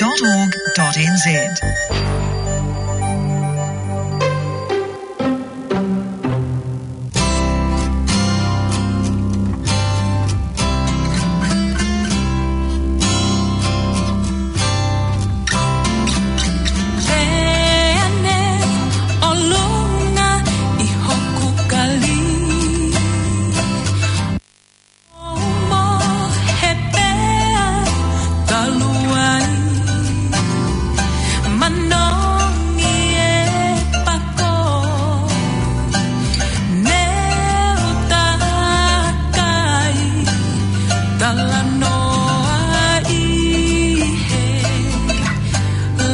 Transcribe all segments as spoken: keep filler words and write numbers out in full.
dot org dot N Z. Pea ne ʻolunga ʻi hoku kali, ʻo mohe pea talu ai, manongi e pako, ne u takai, talanoa ʻi he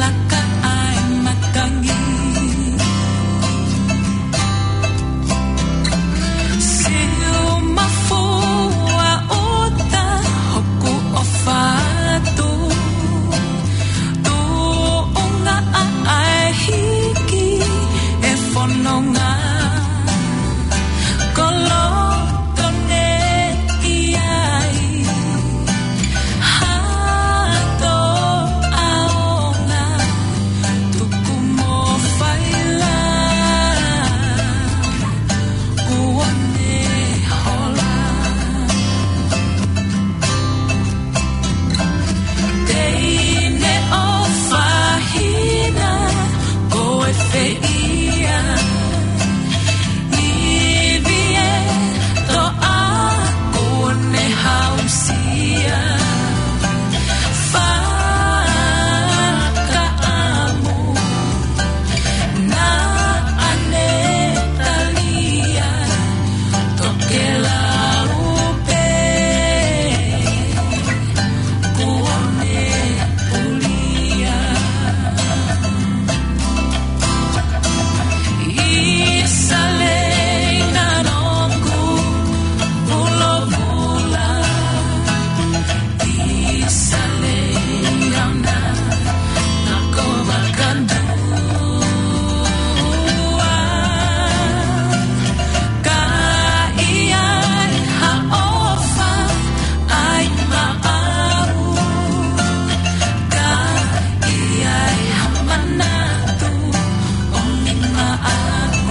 laka ʻa e matangi. Siu mafua ʻuta hoku ʻofa atu, tuʻunga ʻa e hiki e fononga. Koloto ne ʻi ai, hato ʻaonga, tuku mo faila, kuo ne hola. Teine ʻofa hina, ko e fē ia? Ivi e toʻa, kuo ne hausia. Fakaʻamu, naʻa ne talia, tokelau pē, kuo ne pulia. ʻIsale na noku pulovula, ʻIsale na nako vakandua. Ka ʻi ai ha ʻofa ʻai maʻau, ka ʻi ai ha manatu ʻomi maʻau.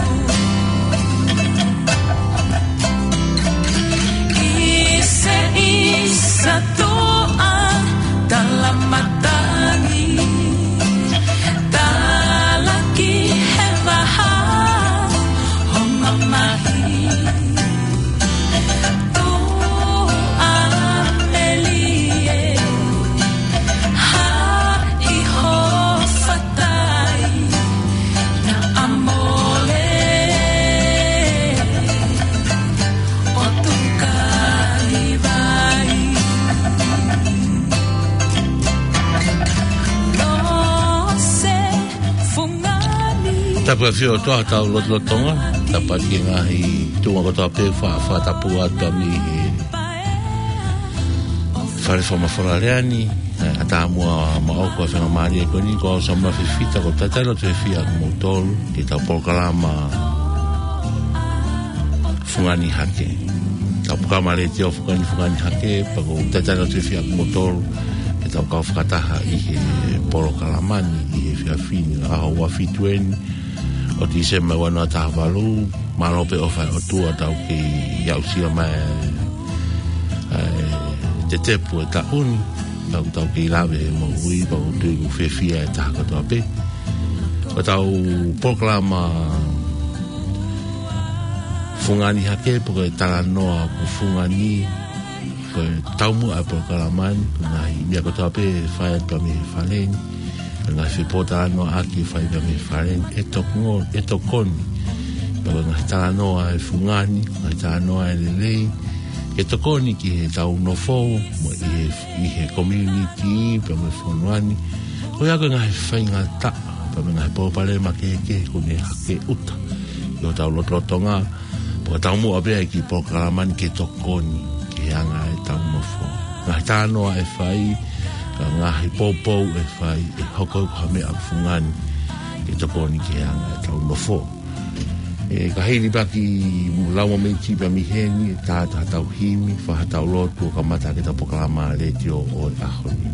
ʻIsa, ʻisa tuʻa, tala matangi, talaki he vaha ho mamahi. Tuʻa melie, haʻi ho fatai, naʻa mole ʻo tukai vai. Lose fungani. Tapu ʻa e ʻOtua hotau lotolotonga, tapu ki he ngaahi tuʻunga kotoa pē ʻoku fakatapu atu mei he Fale Fakamafola Lea ni, ʻa e ʻatamai maʻoku ʻa e faingamālie ko eni, ko au Samuela Fifita, ʻoku ou talitali lotu fiefia kimoutolu ki heʻetau polokalama Fungani Hake. Tau polokalama letiō Fungani, Fungani Hake, pea ʻoku ou talitali lotu fiefia kimoutolu ke tau kau fakataha ʻi he polokalama ni ʻi he efiafi ni, ʻaho ua fitu eni ʻo Tīsema ua noa taha valu. Mālō pē ʻofa ʻa e ʻOtua ʻoku tau kei aʻusia mai ʻa e, ʻa e tetepu ʻo e taʻu ni, ʻoku tau kei lave he moʻui, pea ʻoku ou tui ʻoku fiefia e taha kotoa pē. Ko ʻetau polokalama Fungani Hake, pe ko e talanoa ʻoku fungani, ko e taumuʻa ʻa e polokalama ni, ko e ngaahi meʻa kotoa pē ʻe fai atu mei he fale ni, ko e ngaahi fepōtalanoaʻaki ʻe fai atu mei he fale ni, ʻe toko-, ʻe tokoni. Pea ko e ngaahi talanoa ʻe fungani, ngaahi talanoa ʻe lelei, ke tokoni ki heʻetau nofo, mo ʻi he, ʻi he community, pea mo e fonua ni. Ko ia ko e ngaahi faingataʻa, pea mo e ngaahi palopalema kehekehe ʻoku ne hake ʻuta ʻi hotau lotolotonga, pea ʻoku taumuʻa pē ʻa e kiʻi polokalama ni ke tokoni ki he anga ʻetau nofo. Ngaahi talanoa ʻe fai, ka ngaahi poupou ʻe fai, ʻe hoko ko ha meʻa ʻoku fungani ke tokoni ki he anga ʻetau nofo. ʻE, ka hili pē kiʻi lau mōmeniti pē mei heni, ʻe tā atu haʻatau himi, fai haʻatau lotu ʻo kamata ʻaki ʻetau polokalama letiō ʻo e ʻaho ni.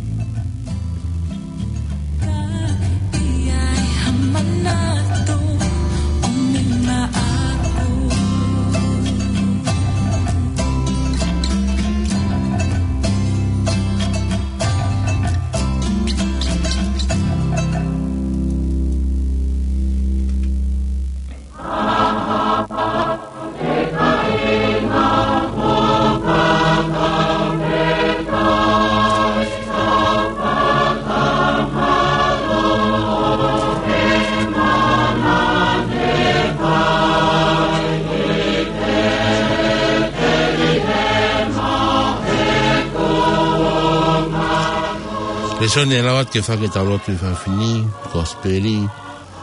Sone lau atu ke fai ʻetau lotu ʻi he efiafi ni, Kosipeli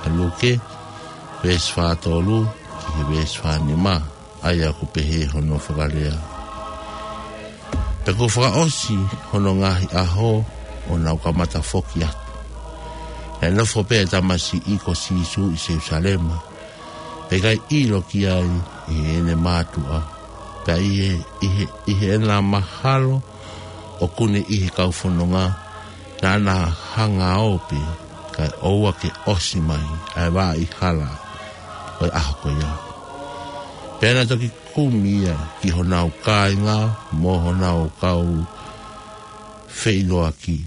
ʻa Luke, veesi fā tolu ki he veesi fā nima, ʻa ia ʻoku pehē hono fakalea. Pea kuo fakaʻosi hono ngaahi ʻaho, ʻo nau kamata foki atu. Naʻe nofo pē ʻa e tamasiʻi ko Sīsū ʻi Selusalema, pea ʻikai ʻilo ki ai ʻe heʻene mātuʻa. Pea ʻi he, ʻi he, ʻi heʻena mahalo ʻoku ne ʻi he kau fononga, naʻa na hanga ʻo pehē, kae ʻoua ke ʻosi mai ʻa e vaʻa hala ʻo e ʻaho ko ia. Pea na toki kumi ia ki honau kāinga mo honau kau feʻiloaki.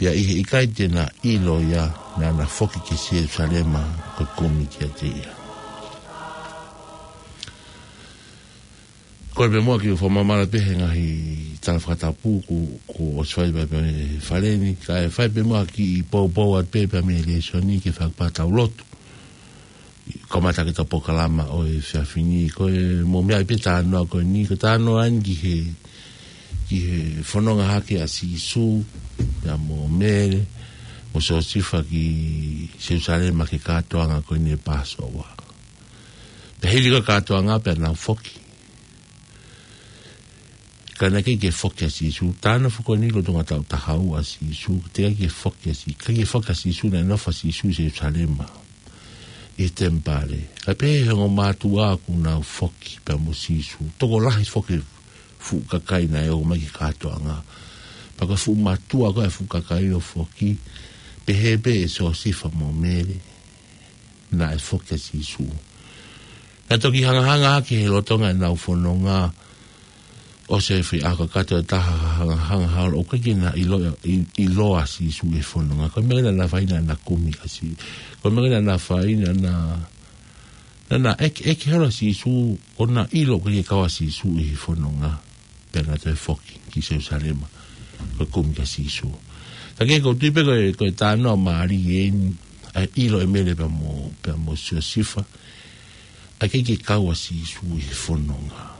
Pea ʻi he ʻikai te na ʻilo ia, naʻa na foki ki Selusalema ko e kumi kiate ia. Ko e pē muʻa ke u fakamāmala pē he ngaahi tala fakatapu kuo, kuo ʻosi fai pē he fale ni, kae fai pē muʻa ke poupou atu pē pea mei he lēsoni ke fakapatau lotu. Kamata ʻetau polokalama ʻo e efiafi ni, ko e mou meaʻi pē talanoa ko eni, ko e talanoa eni ki he, ki he fononga hake ʻa Sīsū, pea mo Mele, mo Siosefa ki Selusalema ki he kātoanga ko eni ʻo e Passover. Pea hili ko e kātoanga pea nau foki. Ka naʻe ʻikai ke foki ʻa Sīsū, talanoa foki eni lolotonga taʻu taha ua ʻa Sīsū, teʻeki ke foki ʻa Sī-, ʻikai ke foki ʻa Sīsū, naʻe nofo ʻa Sīsū ʻi Selusalema, ʻi he temipale. Kae pehē ʻe he ongo mātuʻa kuo nau foki pea mo Sīsū. Tokolahi foki e fuʻu kakai naʻe ō mai ki he kātoanga. Pea ko e fuʻu mātuʻa ko ē e fuʻu kakai ʻo foki, pehē pē ʻe Siosefa mo Mele naʻe foki ʻa Sīsū. Naʻe toki hangahanga hake he lolotonga ʻenau fononga, ʻosi e foʻi ʻaho kakato ʻe taha, hangahanga holo, ʻoku ʻikai ke na ʻilo, ʻi-, ʻiloa ʻa Sīsū ʻi he fononga. Ko e meʻa naʻa na fai naʻa na kumi ʻa Sī-, ko e meʻa naʻa na fai naʻa na, naʻa na ʻeke, ʻeke holo ʻa Sīsū, ʻo na ʻilo ʻoku ʻikai ke kau ʻa Sīsū ʻi he fononga. Pea na toe foki ki Selusalema, ko e kumi kia Sīsū. Ka ke ʻoku ou tui pē ko e, ko e talanoa mālie eni, ʻa e ʻilo ʻe Mele pea mo, pea mo Siosefa, ʻa e ʻikai ke kau ʻa Sīsū ʻi he fononga.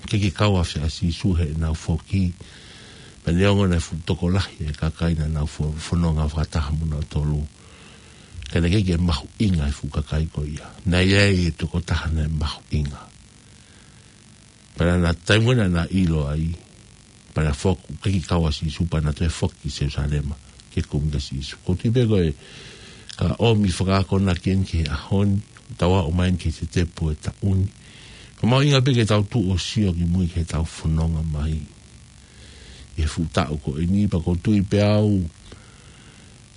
ʻIkai ke kau ʻa Sīsū heʻenau foki, pea neongo naʻe fuʻu tokolahi e kakai naʻa nau fo-, fononga fakataha mo nautolu. Ka naʻe ʻikai ke mahuʻinga e fuʻu kakai ko ia. Naʻe ʻi ai e tokotaha naʻe mahuʻinga. Pea naʻa na taimi naʻa na ʻilo ai, pea na foki, ʻikai ke kau ʻa Sīsū, pea na toe foki ki Selusalema, ke kumi kia Sīsū. ʻOku ou tui pē ko e, ka ʻomi fakaakonaki eni ki he ʻaho ni, tau aʻu mai eni ki he tetepu e taʻu ni. Ka mahuʻinga pē ke tau tuʻu ʻo sio ki mui ki heʻetau fononga mai. ʻI he fuʻu taʻu ko eni, pea ʻoku ou tui pē au,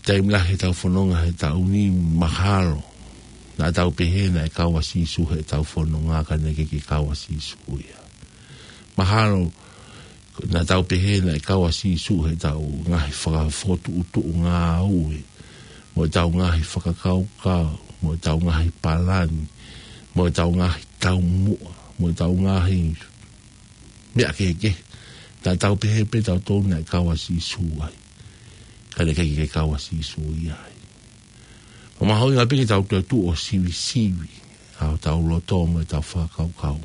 taimi lahi heʻetau fononga he taʻu ni mahalo naʻa tau pehē naʻe kau ʻa Sīsū heʻetau fononga ka naʻe ʻikai ke kau ʻa Sīsū ia. Mahalo naʻa tau pehē naʻe kau ʻa Sīsū heʻetau ngaahi fakafokotuʻutuʻu ngāue, mo ʻetau ngaahi fakakaukau, mo ʻetau ngaahi palani, mo ʻetau ngaahi taumuʻa, mo ʻetau ngaahi meʻa kehekehe. Naʻa tau pehē pē tautolu naʻe kau ʻa Sīsū ai. Ka naʻe ʻikai ke kau ʻa Sīsū ia ai. Pea mahuʻinga pē ke tau toe tuʻu ʻo sivisivi ʻa hotau loto mo ʻetau fakakaukau.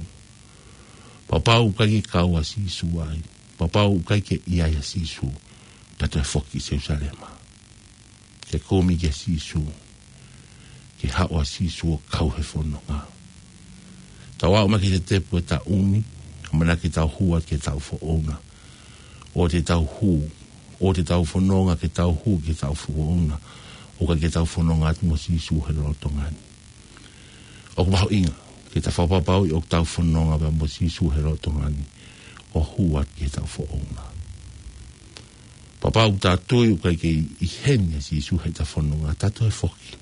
Kapau ʻoku ʻikai ke kau ʻa Sīsū ai, kapau ʻoku ʻikai ke ʻi ai ʻa Sīsū, tau toe foki ki Selusalema ke kumi kia Sīsū, ke haʻu ʻa Sīsū ʻo kau he fononga. Tau aʻu mai ki he tetepu e taʻu ni, ʻamanaki ke tau hū atu ki heʻetau foʻouna. ʻOua te tau hū, ʻoua te tau fononga ke tau hū ki heʻetau foʻouna, ʻo ka ke tau fononga atu mo Sīsū he lolotonga ni. ʻOku mahuʻinga ke tau fakapapauʻi ʻoku tau fononga pea mo Sīsū he lolotonga ni, ʻo hū atu ki heʻetau foʻouna. Kapau ʻoku tau tui ʻoku ʻikai ke ʻi heni ʻa Sīsū heʻetau fononga, tau toe foki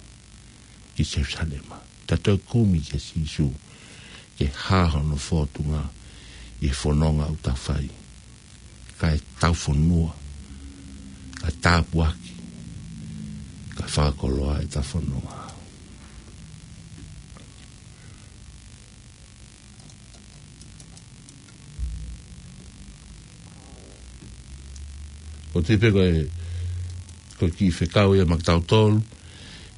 ki Selusalema. Tau toe kumi kia Sīsū ke hā hono fōtunga ʻi he fononga ʻoku tau fai. Kae tau fonua, kae tāpuaki, kae fakakoloa ʻetau fononga. ʻOku ou tui pē ko e, ko e kiʻi fekau ia maʻa kitautolu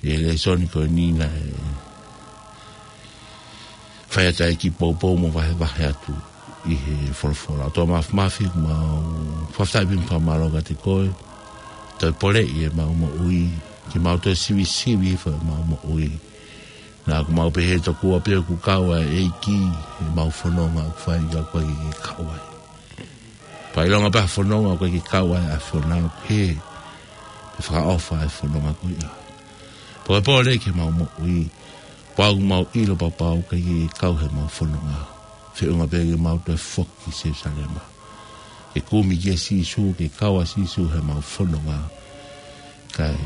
ʻi he lēsoni ko eni naʻe fai atu ai e kiʻi poupou mo vahevahe atu ʻi he folofola. ʻOtua Māfimafi, mau fakafetaʻi pē mo fakamālō kiate koe. Toe poleʻi ʻemau moʻui, ke mau toe sivisivi hifo ʻemau moʻui. Naʻa ʻoku mau pehē tokua pē ʻoku kau ʻa e ʻEiki ʻi heʻemau fononga ʻoku fai, ka ʻoku ʻikai ke kau ai. Pea ʻilonga pē ha fononga ʻoku ʻikai ke kau ai ʻa e fononga, ʻoku hē, ʻe fakaʻofa ʻa e fononga ko ia. Pea ko e poleʻi ki heʻemau moʻui, pea ʻoku mau ʻilo pau pau ʻoku ʻikai ke kau heʻemau fononga. Feʻunga pē ke mau toe foki ki Selusalema. Ke kumi kia Sīsū, ke kau ʻa Sīsū heʻemau fononga. Kae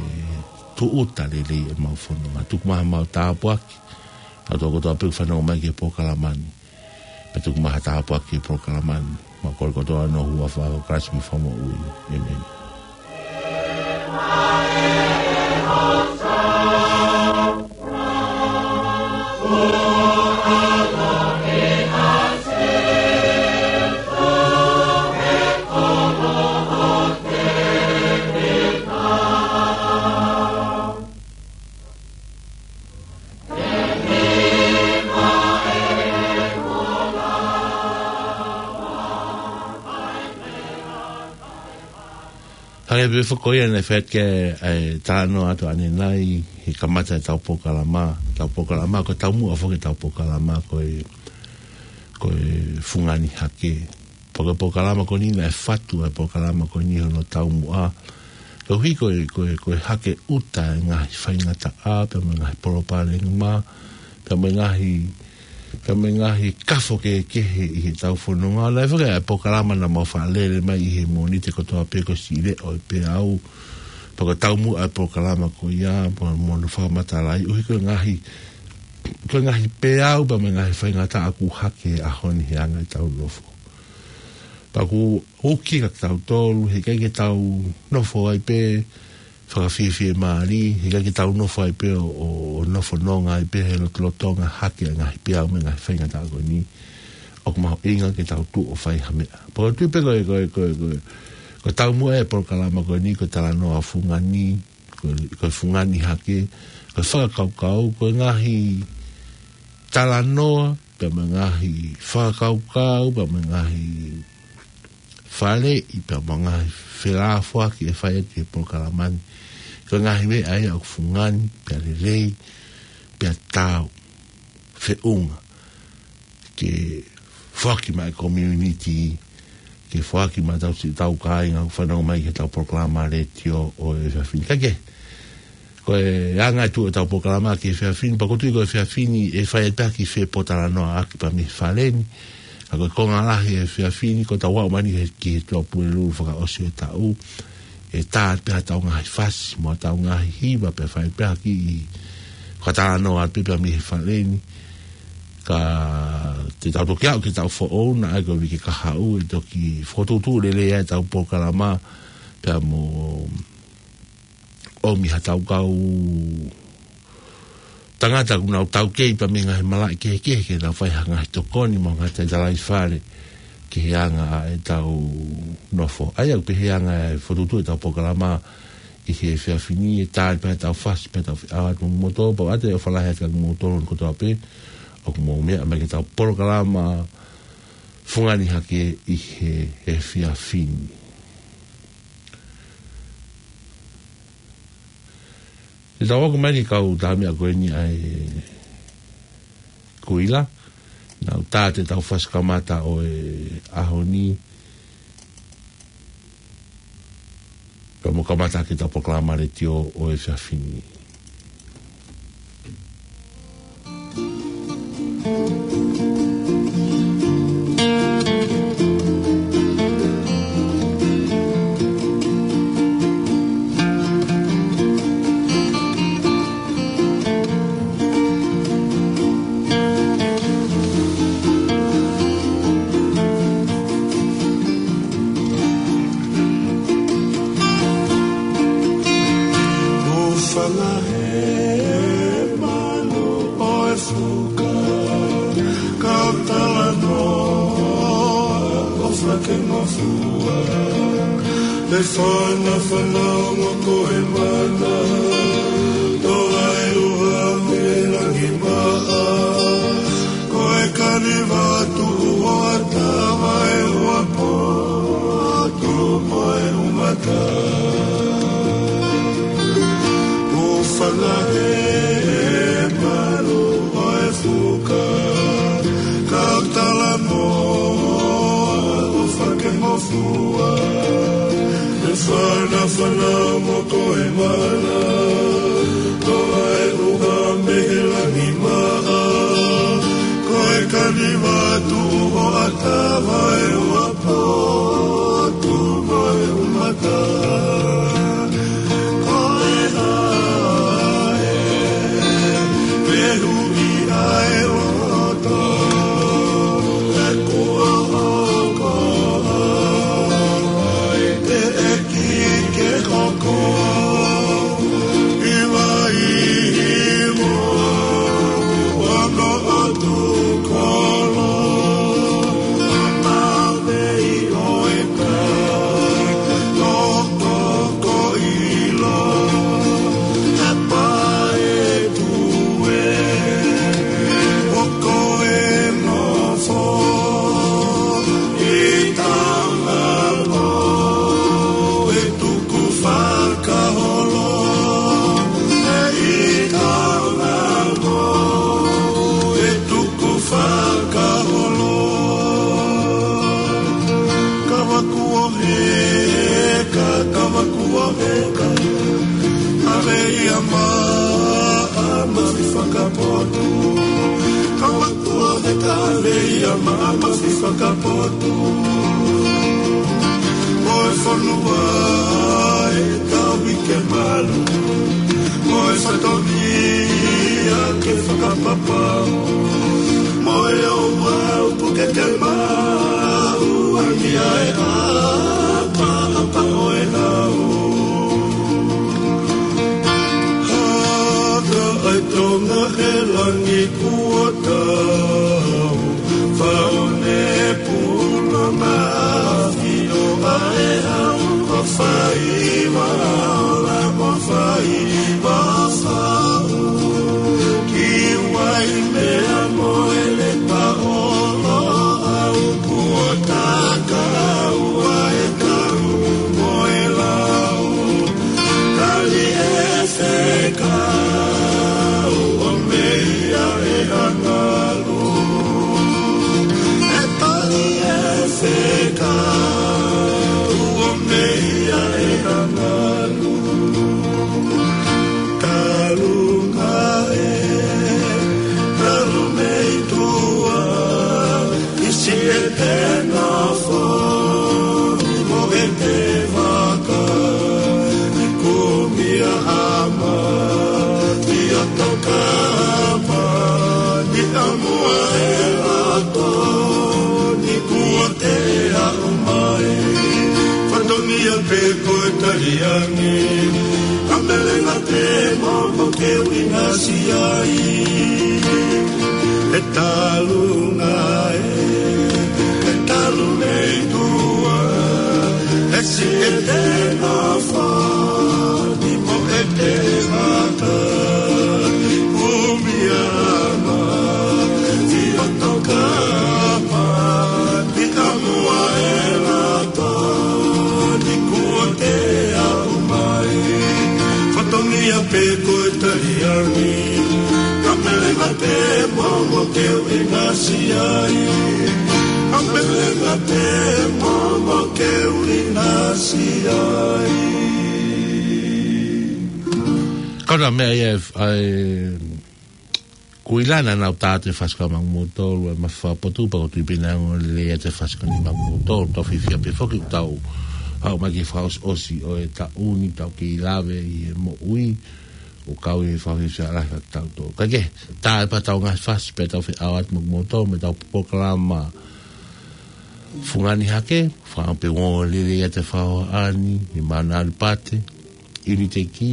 tūʻuta lelei ʻemau fononga. Tuku mai haʻamau tāpuaki, ʻa e tokotaha pē ʻoku fanongo mai ki he polokalama ni. Pea tuku mai ha tāpuaki ki he polokalama ni. Mau kole kotoa ʻi he huafa ʻo Kalaisi homau Fakamoʻui. ʻĒmeni. Hangē pē foki ko ia naʻe fai atu ki ai e talanoa atu ʻanenai, he kamata ʻetau polokalama, ʻetau polokalama, ko e taumuʻa foki ʻetau polokalama, ko e, ko e fungani hake. Pea ko e polokalama ko eni naʻe fatu ʻa e polokalama ko eni hono taumuʻa. Koeʻuhi ko e, ko e, ko e hake ʻuta e ngaahi faingataʻa, pea mo e ngaahi palopalema, pea mo e ngaahi, pea mo e ngaahi kafo kehekehe ʻi heʻetau fononga. Naʻe foki ʻa e polokalama naʻa mau faʻa lele mai ʻi he Mōnite kotoa pē ko e Siʻi Leʻo ʻo e Peau. Pea ko e taumuʻa ʻa e polokalama ko ia, pea mo hono fakamatalaʻi, ʻuhi ko e ngaahi, ko e ngaahi peau, pea mo e ngaahi faingataʻa ʻoku hake he ʻaho ni he anga ʻetau nofo. Pea ʻoku uki kia kitautolu, he ʻikai ke tau nofo ai pē fakafiefiemālie, he ʻikai ke tau nofo ai pē ʻo, ʻo, ʻo nofo nonga ai pē he lotolotonga hake ʻa e ngaahi peau mo e ngaahi faingataʻa ko eni. ʻOku mahuʻinga ke tau tuʻu ʻo fai ha meʻa. Pea ʻoku ou tui pē ko e, ko e, ko e, ko e, ko e taumuʻa ʻa e polokalama ko eni, ko e talanoa fungani, ko e, ko e fungani hake, ko e fakakaukau, ko e ngaahi talanoa, pea mo e ngaahi fakakaukau, pea mo e ngaahi faleʻi, pea mo e ngaahi felāfoaki ʻe fai atu he polokalama ni. Ko e ngaahi meʻa ia ʻoku fungani, pea lelei, pea taau, feʻunga ke foaki maʻa e community, ke foaki maʻa ʻetau siʻi, ʻetau kāinga ʻoku fanongo mai ki heʻetau polokalama letiō ʻo e efiafi ni. Ka ke, ko e anga ʻetau, ʻetau polokalama ki he efiafi ni, pea ʻoku ou tui ko e efiafi ni ʻe fai atu pē ha kiʻi fepōtalanoaʻaki pea mei he fale ni. Ka ko e konga lahi e efiafi ni, ko ʻetau aʻu mai eni ki he, ki he Tuʻapulelulu fakaʻosi ʻo e taʻu. ʻE tā pē haʻatau ngaahi fasi, mo haʻatau ngaahi hiva pea fai pē ha kiʻi fakatalanoa atu pē pea mei he fale ni. Ka te tau toki aʻu ki he taʻu foʻou, naʻa ʻi ai ko e uike kahaʻu, ʻe toki fokotuʻutuʻu lelei ai ʻetau polokalama, pea mo ʻomi haʻatau kau tangata ʻoku nau taukei pea mei he ngaahi malaʻe kehekehe ke nau fai ha ngaahi tokoni mo ha ngaahi talitali fale ki he anga ʻetau nofo. ʻA ia ʻoku pehē anga e fokotuʻutuʻu ʻetau polokalama ʻi he efiafi ni, ʻe tali pē haʻatau fasi pea tau feʻao atu mo moutolu, pea ʻoatu e ʻofa lahi atu kiate kimoutolu kotoa pē ʻoku mou meʻa mai ki heʻetau polokalama fungani hake ʻi he efiafi ni. Te tau hoko mai eni ki he kau tamaiki ko eni ʻa e Kuila. Nau tā atu ʻetau fasi kamata ʻo e ʻaho ni. Pea mo kamata ʻaki ʻetau polokalama letiō ʻo e efiafi ni. Ufana he manu ʻo e fuka, kau talanoa ʻo fakengofua. Te fanafana ongo ko e mana, toa e uha mei langi maʻa. Ko e kaniva tuʻu ʻo ʻatā mai uapo, tuʻu mo e umata. Fana mo ko e mana, ko e uha mei he langi maʻa, ko e kani vatu ʻo ʻatā, vae ua potu mo e umata, ko e hae, pehu ʻi ai loto, e kuo hoko ai te ʻEiki ke hoko, ʻi vai mo ono ʻotu kolo, ʻa mavei ʻo e ka, toko ko ʻilo, ʻa pae tue, ʻo ko e nofo, ʻi tauna mo e tuku fakaholo, ʻi tauna mo e tuku fakaholo. Kavaku ʻo heka, kavaku ʻo heka, ʻa lei ʻa maʻa mafi fakapotu. Kavaku ʻo heka, ʻa lei ʻa maʻa mafi fakapotu. Mo e fonua ʻe tauhi ke malu, mo e fatongia ke fakapapau, mo e ouau puke ke maʻu, ʻa ia ʻe ʻapaʻapa ʻo e lau. Haka ʻa e Tonga he langi kuo tau, faone puna mafi ʻo ʻa e hau, ko fai ua ola, ko fai ua fau. Ki Waimea mo e Lepa ʻo Loʻau, kuo taka ua e kau mo e lau. Tali e fekau ʻo meia ʻe ʻAngalu. ʻE tali e fekau ʻo meia ʻe ʻAngalu. Talunga ē, talu mei tuʻa, ʻIsi ʻete nofo, ni mo ʻete vaka, ni kumi ʻa ʻAma, ni ʻo Tokapa, ni ʻa Muaʻa ʻe Lato, ni kuo te aʻu mai. Fatongia pē ko e taliangi, ʻa Melenga te mo mo ke uinasi ai. ʻE talunga ē, ʻe talu mei tuʻa, ʻe siʻi ʻete nofo, ni mo ʻete vaka, kumi ʻa ʻAma, ni ʻo Tokapa, ni ʻa Muaʻa ʻe Lato, ni kuo te aʻu mai. Fatongia pē ko e taliangi, ʻa Melenga te mo mo ke uinasi ai. ʻA Melenga te mo mo ke uinasi ai. Kona meʻa ia ʻa e Kuilana, naʻa tau tā atu e fasi ko ia maʻa kimoutolu, ʻa e mafi fakapotu, pea ʻoku ou tui pē naʻe ongo lelei atu e fasi ko eni maʻa kimoutolu. Tau fiefia pē foki ʻoku tau haʻu mai ki he fakaʻosiʻosi ʻo e taʻu ni, tau kei lave ʻi he moʻui, ʻoku kau ʻi he fakafiefia lahi ʻa kitautolu. Kae kehe, tā atu pē ʻetau ngaahi fasi pea tau feʻao atu maʻa kimoutolu mei heʻetau polokalama Fungani Hake, fakaʻamu pē ʻoku ongo lelei atu e fakahohaʻa ni, ʻi Mauna Alipate, ʻIuniteki,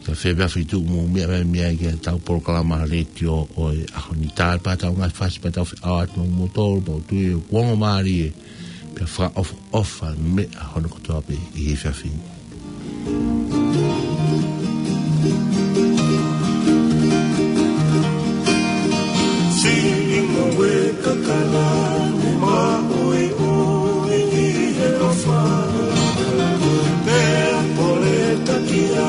ka fēfē ʻa e feituʻu ʻoku mou meʻa mai ai ki heʻetau polokalama letiō ʻo e ʻaho ni. Tā atu pē ʻetau ngaahi fasi pea tau feʻao atu maʻa kimoutolu, pea ʻoku ou tui ʻoku ongo mālie, pea fakaʻofoʻofa meʻa hono kotoa pē ʻi he efiafi ni. Siʻi ngoue kakala ni maʻuiʻui ʻi he ʻofa. Pea pole takia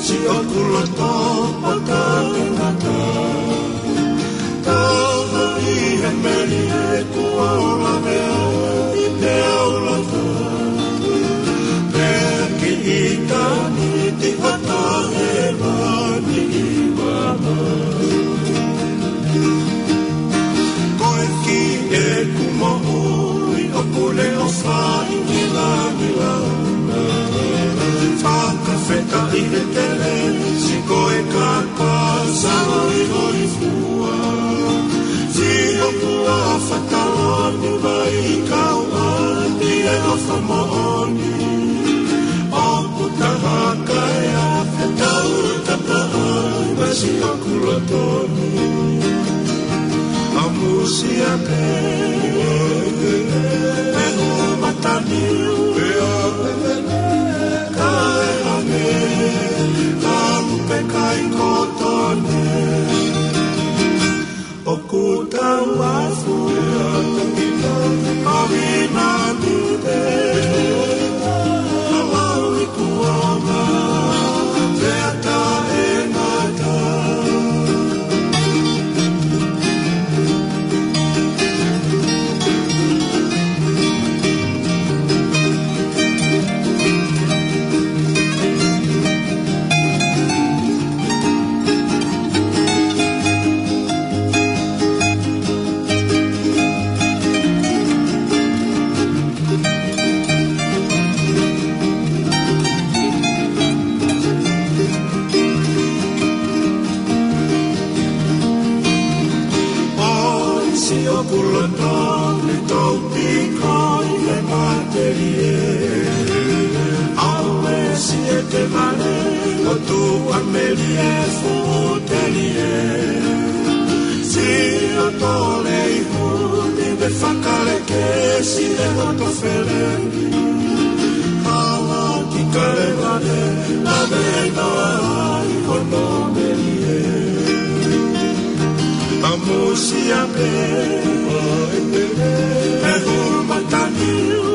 siʻoku loto makaʻangata. Tau ʻi he melie kuo lavea ʻi he ʻaulaka. Pea ki Ko e kiʻi ʻeku moʻui ʻoku ne ʻofa ʻi langilangi. Fakafetaʻi e kelesi ko e kaka saloihoifua. Sio kuo fakaloni mai kau ʻa e ʻofa moʻoni. ʻOku taha kae ʻa e tau tapaʻa masi ʻoku loto ni. ʻAmusia pē, e hu mataniu, e a, kae hangē, ka lupe kai koto ni. ʻOku tau afu, a vinani te, a lau i kuonga, te ata e ngata. ʻOsi ʻoku loto ni tau piko ʻi he matelie. ʻAuesi e te male, ʻo tu a melie fuʻu telie. Si o tole i huni me fakaleke si e hoto feleni. Hala ki kale vale, a me noa ai hono melie. ʻAmusia pē, e hu mataniu,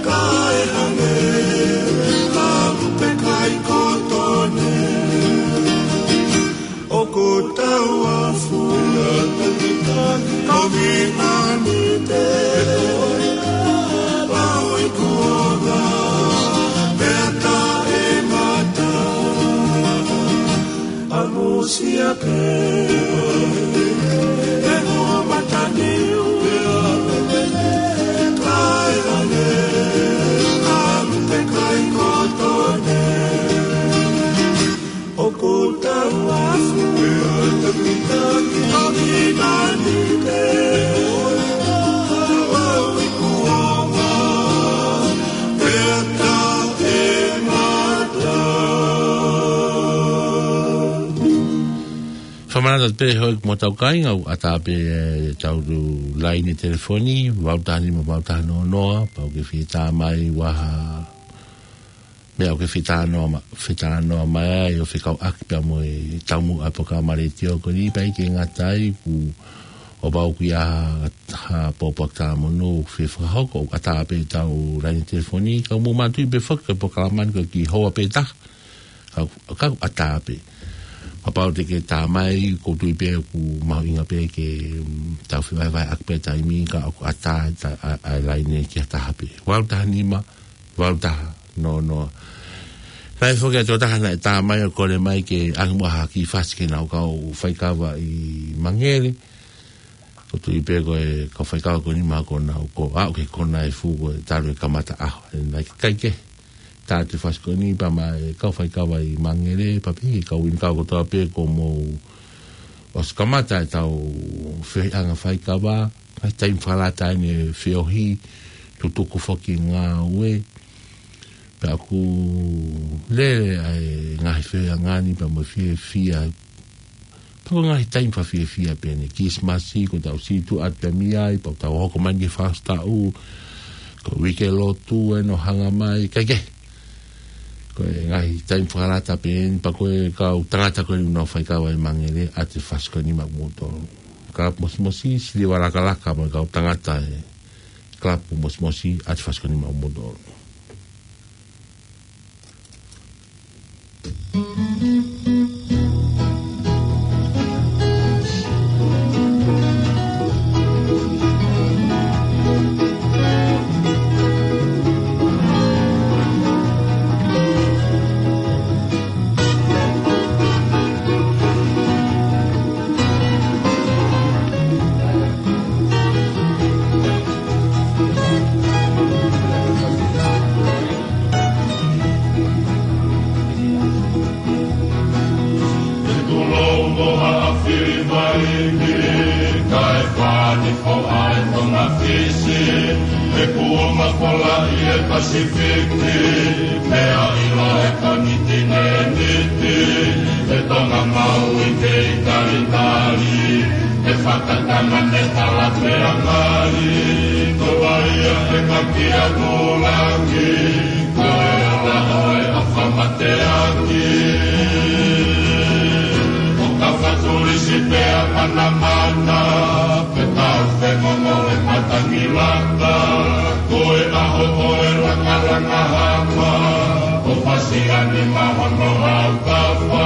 kae hangē, ka lupe kai koto ni. ʻOku tau afu, a vinani te, lau i kuonga, te ata e ngata. ʻAmusia pē, e hu mataniu, kae hangē, ka lupe kai koto ni. ʻOku tau afu, a vinani te, lau i kuonga, te ata e ngata. Fakamanatu pē hoi mo tau kāinga ʻoku ʻatā pē, e, tau laine telefoni, valu taha nima valu taha noa noa, pau ke fie tā mai ʻi ha meʻa ʻoku ke fie talanoa ma-, fie talanoa mai ai ʻo fekauʻaki pea mo e taumuʻa ʻa e polokalama letiō ko eni pea ʻikai ke ngata ai kuo pau ke ʻi ai ha pōpoaki talamonū ʻoku fie fakahoko ʻoku ʻatā pē tau laine telefoni, ka mou manatuʻi pē foki ko e polokalama ni ko e kiʻi houa pē taha. Ka, ka ʻatā pē. Kapau te ke tā mai, ʻoku ou tui pē ʻoku mahuʻinga pē ke, mm, tau fevahevaheʻaki pē taimi ka ʻoku ʻatā ta-, ʻa, ʻa e laine ki ha taha pē. Valu taha nima, valu taha noa noa. Naʻe foki atu ha taha naʻe tā mai ʻo kole mai ke ʻange muʻa ha kiʻi fasi ke nau kau faikava ʻi Mangele. ʻOku ou tui pē ko e kau faikava ko eni mahalo ko ʻenau, ko ʻenau aʻu ki he konga ʻe fiha ko e talu e kamata ʻaho. ʻE, naʻe ʻikai ke tā atu e fasi ko eni pea mo e kau faikava ʻi Mangele, pea pehē ki he kau ʻi he kau kotoa pē kuo mou ʻosi kamata ʻetau feohiʻanga faikava, ngaahi taimi fakalata eni e feohi, tutuku foki ngāue, pea ʻoku lele ʻa e ngaahi feohiʻanga ni pea mo e fiefia. Pea ko e ngaahi taimi fakafiefia pē eni, Kilisimasi, ko ʻetau situʻa atu pē mei ai, pea ʻoku tau hoko mai ki he fakaʻosi taʻu, ko e uike lotu eni ʻoku hanga mai, kae kehe. Ko e ngaahi taimi fakalata pē eni, pea ko e kau tangata ko eni ʻoku nau faikava ʻi Mangele, ʻoatu e fasi ko eni maʻa kimoutolu. Kalapu Mosimosi, Siliva Lakalaka, mo e kau tangata e Kalapu Mosimosi, ʻoatu e fasi ko eni maʻa kimoutolu. Fisi, he kuonga pola ʻi he Pasifiki, pea ʻilo he konititeni, he Tonga, Maui kei talitali, he fakatama ne tala pea ngali, ko ia he makia kulangi, ko e ola ʻo e ʻofa mateaki. ʻO ka fatulisi pea manamana, pe tau fengongo he matangi laka, ko e ʻaho ʻo e langalanga hama, ʻo fasi ani mahono hau kafa,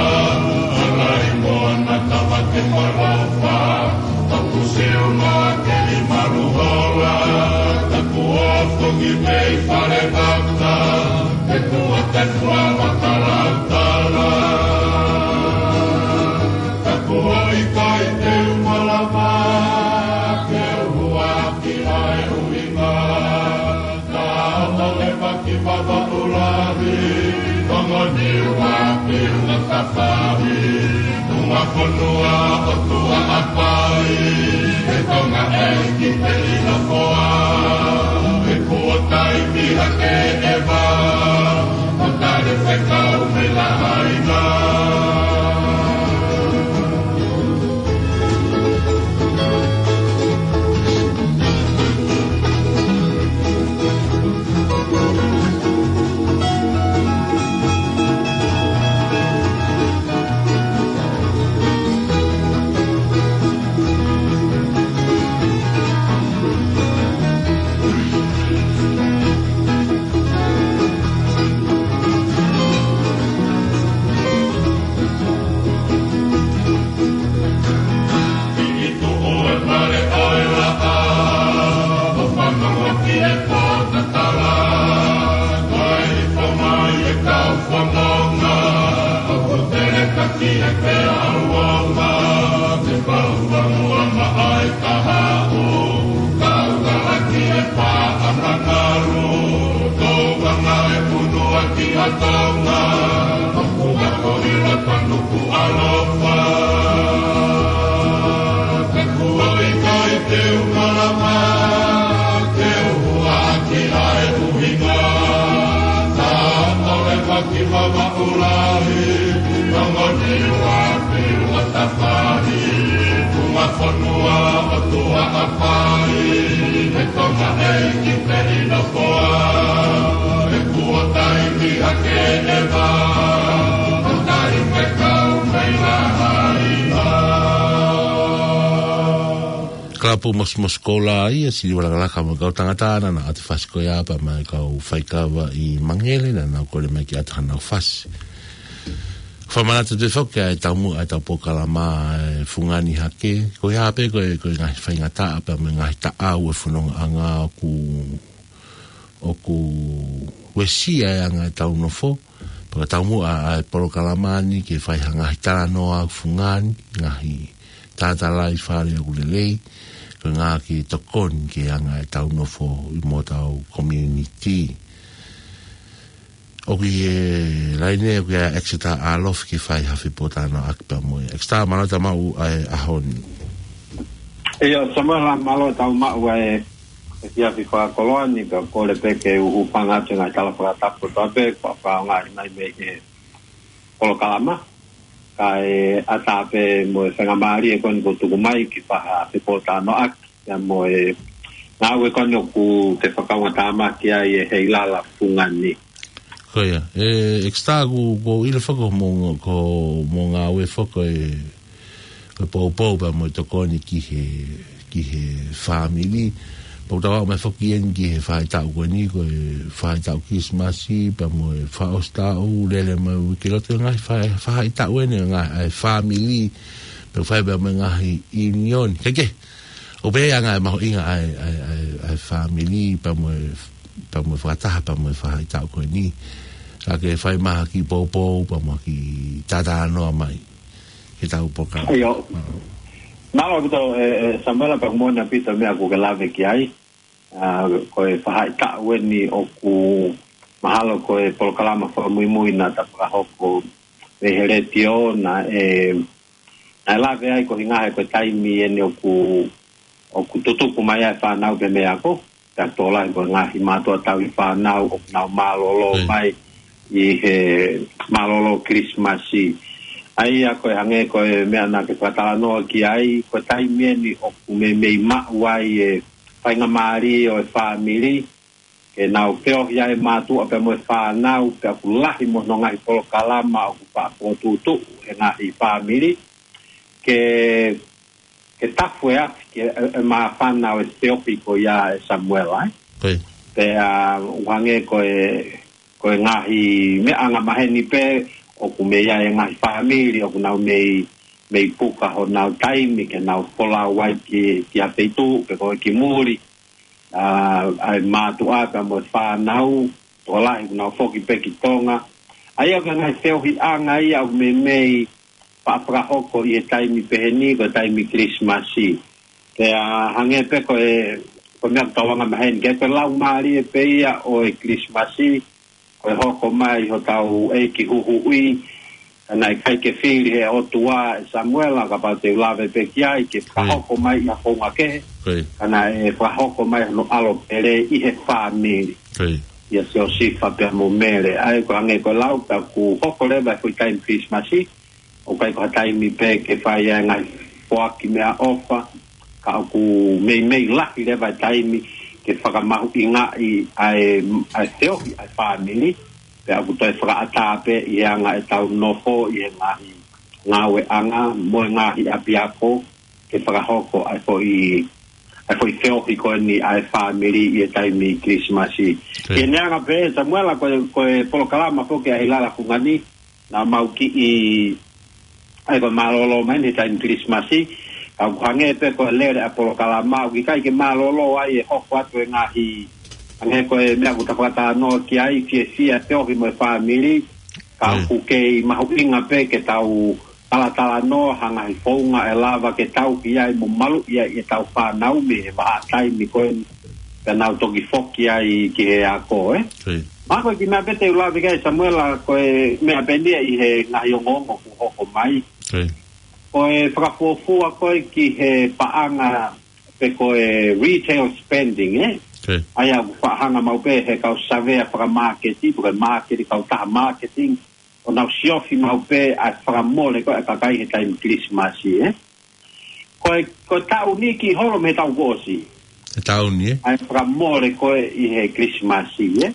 ala i moana tava ke malofa, taku siu noa ke i malu hola, taku ofongi mei fale vaka, ke tua te fua vaka lautala. Taku ʻoku ʻikai te u malava, ke u huaki ʻa e ʻuhinga. Ka ʻoku ʻi ai e maki vava ʻo lahi, ongo niu ʻa piu na ka fahi. Uma fonua ʻo tua ʻapai, he Tonga ʻeiki pē ʻi nofoa. He kuo taimi hake ʻeva, ʻo tali fekau mei Lahaina. Alofa, ka kuo ʻikai te u malava, ke u huaki ʻa e ʻuhinga. Ka ʻoku ʻi ai e maki vava ʻo lahi, ongo niu ʻa piu na ka fahi. Uma fonua ʻo tua ʻapai, he Tonga ʻeiki pē ʻi nofoa. He kuo taimi hake ʻeva, ʻo tali fekau mei Lahaina. Kalapu Mosmos Kola ia, Siliva Lakalaka mo e kau tangata naʻa nau ʻatu fasi ko ia pea mo e kau faikava ʻi Mangele naʻa nau kole mai ke ʻatu hanau fasi. Fakamanatu atu foki ʻa e taumuʻa ʻa e tau polokalama ʻa e Fungani Hake. Ko ia pē ko e, ko e ngaahi faingataʻa pea mo e ngaahi taʻau ʻo e fonongaʻanga ʻoku, ʻoku uesia e anga ʻetau nofo. Pea ko e taumuʻa ʻa e polokalama ni ke fai ha ngaahi talanoa ʻoku fungani, ngaahi tātālai fale ʻoku lelei, ko e ngaahi tokoni ki he anga ʻetau nofo ʻi hotau community. ʻOku ʻi he laine ʻoku ʻia Exeter ʻAlofi ke fai ha fepōtalanoaʻaki pea mo ia. Exeter, mālō e tau maʻu ʻa e ʻaho ni. ʻIo, Samuela, mālō e tau maʻu ʻa e efiafi fakakoloa ni, pea kole pē ke u hūfanga atu he ngaahi tala fakatapu kotoa pē kuo fakaʻaongaʻi mai mei he polokalama. Kae ʻatā pē mo e faingamālie ko eni kuo tuku mai ke fai ha fepōtalanoaʻaki ia mo e ngāue ko eni ʻoku te fakaungatāmaki ai ʻe Heilala Fungani. Ko ia, ʻe, Exeter, ʻoku, ʻoku ou ʻilo foki ko hoʻomou, ko hoʻomou ngāue foki ʻe, ko e poupou pea mo e tokoni ki he, ki he fāmili. Pea ʻoku tau aʻu mai foki eni ki he faʻahitaʻu ko eni, ko e faʻahitaʻu Kilisimasi pea mo e fakaʻosi taʻu, lele mai uike, loto ngaahi fa-, faʻahitaʻu eni ngaahi ʻa e fāmili, pea fai pea mo e ngaahi ʻiunioni. Kehekehe. ʻOku pehē ʻa e ngaahi mahuʻinga ʻa e, ʻa e, ʻa e, ʻa e fāmili, pea mo e, pea mo e fakataha, pea mo e faʻahitaʻu ko eni. Ka ke fai mai ha kiʻi poupou, pea mo ha kiʻi talanoa mai ki heʻetau polokalama. ʻIo. Mālō ʻaupito, ʻe, ʻe, Samuela, pea ʻoku moʻoni ʻaupito e meʻa ʻoku ke lave ki ai. ʻA, ko e faʻahitaʻu eni ʻoku mahalo ko e polokalama fakamuimui naʻa ta fakahoko mei he letiō naʻe, naʻe lave ai ko e ʻuhinga he ko e taimi eni ʻoku ʻoku tutuku mai ai e fānau pē mei he ako, pea tokolahi ko e ngaahi mātuʻa tauhi fānau ʻoku nau mālōlō mai ʻi he mālōlō Kilisimasi. ʻA ia ko e hangē ko e meʻa naʻa ke fakatalanoa ki ai, ko e taimi eni ʻoku meimei maʻu ai e faingamālie ʻo e fāmili, ke nau feohi ai e mātuʻa pea mo e fānau, pea ʻoku lahi mo hono ngaahi polokalama ʻoku faʻa fokotuʻutuʻu he ngaahi fāmili, ke, ke tafu e afi ki he, e, e māfana ʻo e feohi ko ia ʻe Samuela, ē. Pea, ʻoku hangē ko e, ko e ngaahi meʻa angamaheni pē, ʻoku mei ai e ngaahi fāmili, ʻoku nau mei, mei puka honau taimi, ke nau folau ai ki, ki ha feituʻu, pe ko e ki muli, ʻa, ʻa e mātuʻa pea mo e fānau, tokolahi ʻoku nau foki pē ki Tonga. ʻA ia ko e ngaahi feohiʻanga ia ʻoku meimei faʻa fakahoko ʻi he taimi pehē ni, ko e taimi Kilisimasi. Pea hangē pē ko e, ko e meʻa ʻoku tau angamaheni, ke ko e laumālie pē ia ʻo e Kilisimasi, ko e hoko mai hotau ʻEiki Huhuʻi, ka naʻe ʻikai ke fili he ʻOtua ʻe Samuela, kapau te u lave pē ki ai, ke fakahoko mai ʻi ha founga kehe, ka naʻe fakahoko mai hono ʻAlo pele ʻi he fāmili. ʻIa Siosifa pea mo Mele, ʻa ia ko e hangē ko e lau, pea ʻoku hoko leva e foʻi taimi Kilisimasi, ʻoku ʻikai ko ha taimi pē ke fai ai e ngaahi foaki meʻaʻofa, ka ʻoku meimei lahi leva e taimi ke fakamahuʻingaʻi ʻa e, ʻa e feohi ʻa e fāmili, pea ʻoku toe fakaʻatā pē ʻi he anga ʻetau nofo ʻi he ngaahi ngāueʻanga mo e ngaahi ʻapiako, ke fakahoko ʻa e foʻi, ʻa e foʻi feohi ko eni ʻa e fāmili ʻi he taimi Kilisimasi. Ke neanga pē, Samuela, ko e, ko e polokalama foki ʻa e Hilala Fungani, naʻa mau kiʻi, ʻa ia ko e mālōlō mai eni he taimi Kilisimasi, ka ʻoku hangē pē ko e lele ʻa e polokalama, ʻoku ʻikai ke mālōlō ai e hoko atu e ngaahi, hangē ko e meʻa ʻoku ta fakatalanoa ki ai, fiefia e feohi mo e fāmili, ka ʻoku kei mahuʻinga pē ke tau talatalanoa ha ngaahi founga ʻe lava ke tauhi ai mo maluʻi ai ʻetau fānau mei he vahaʻa taimi ko eni, pea nau toki foki ai ki he ako, ē. Mā ko e kiʻi meʻa pē te u lave ki ai Samuela, ko e meʻa pē eni ia ʻi he ngaahi ongoongo kuo hoko mai. Ko e fakafuofua ko ē ki he paʻanga pe ko e retail spending, ē? ʻA ia ʻoku faʻa hanga maʻu pē he kau savea fakamāketi, pe ko e māketi, kautaha marketing, ʻo nau siofi maʻu pē ʻa e fakamole ko ē ʻa e kakai he taimi Kilisimasi, ē? Ko e, ko e taʻu ni kiʻi holo mei he taʻu kuo ʻosi. He taʻu ni, ē? ʻA e fakamole ko ē ʻi he Kilisimasi, ē?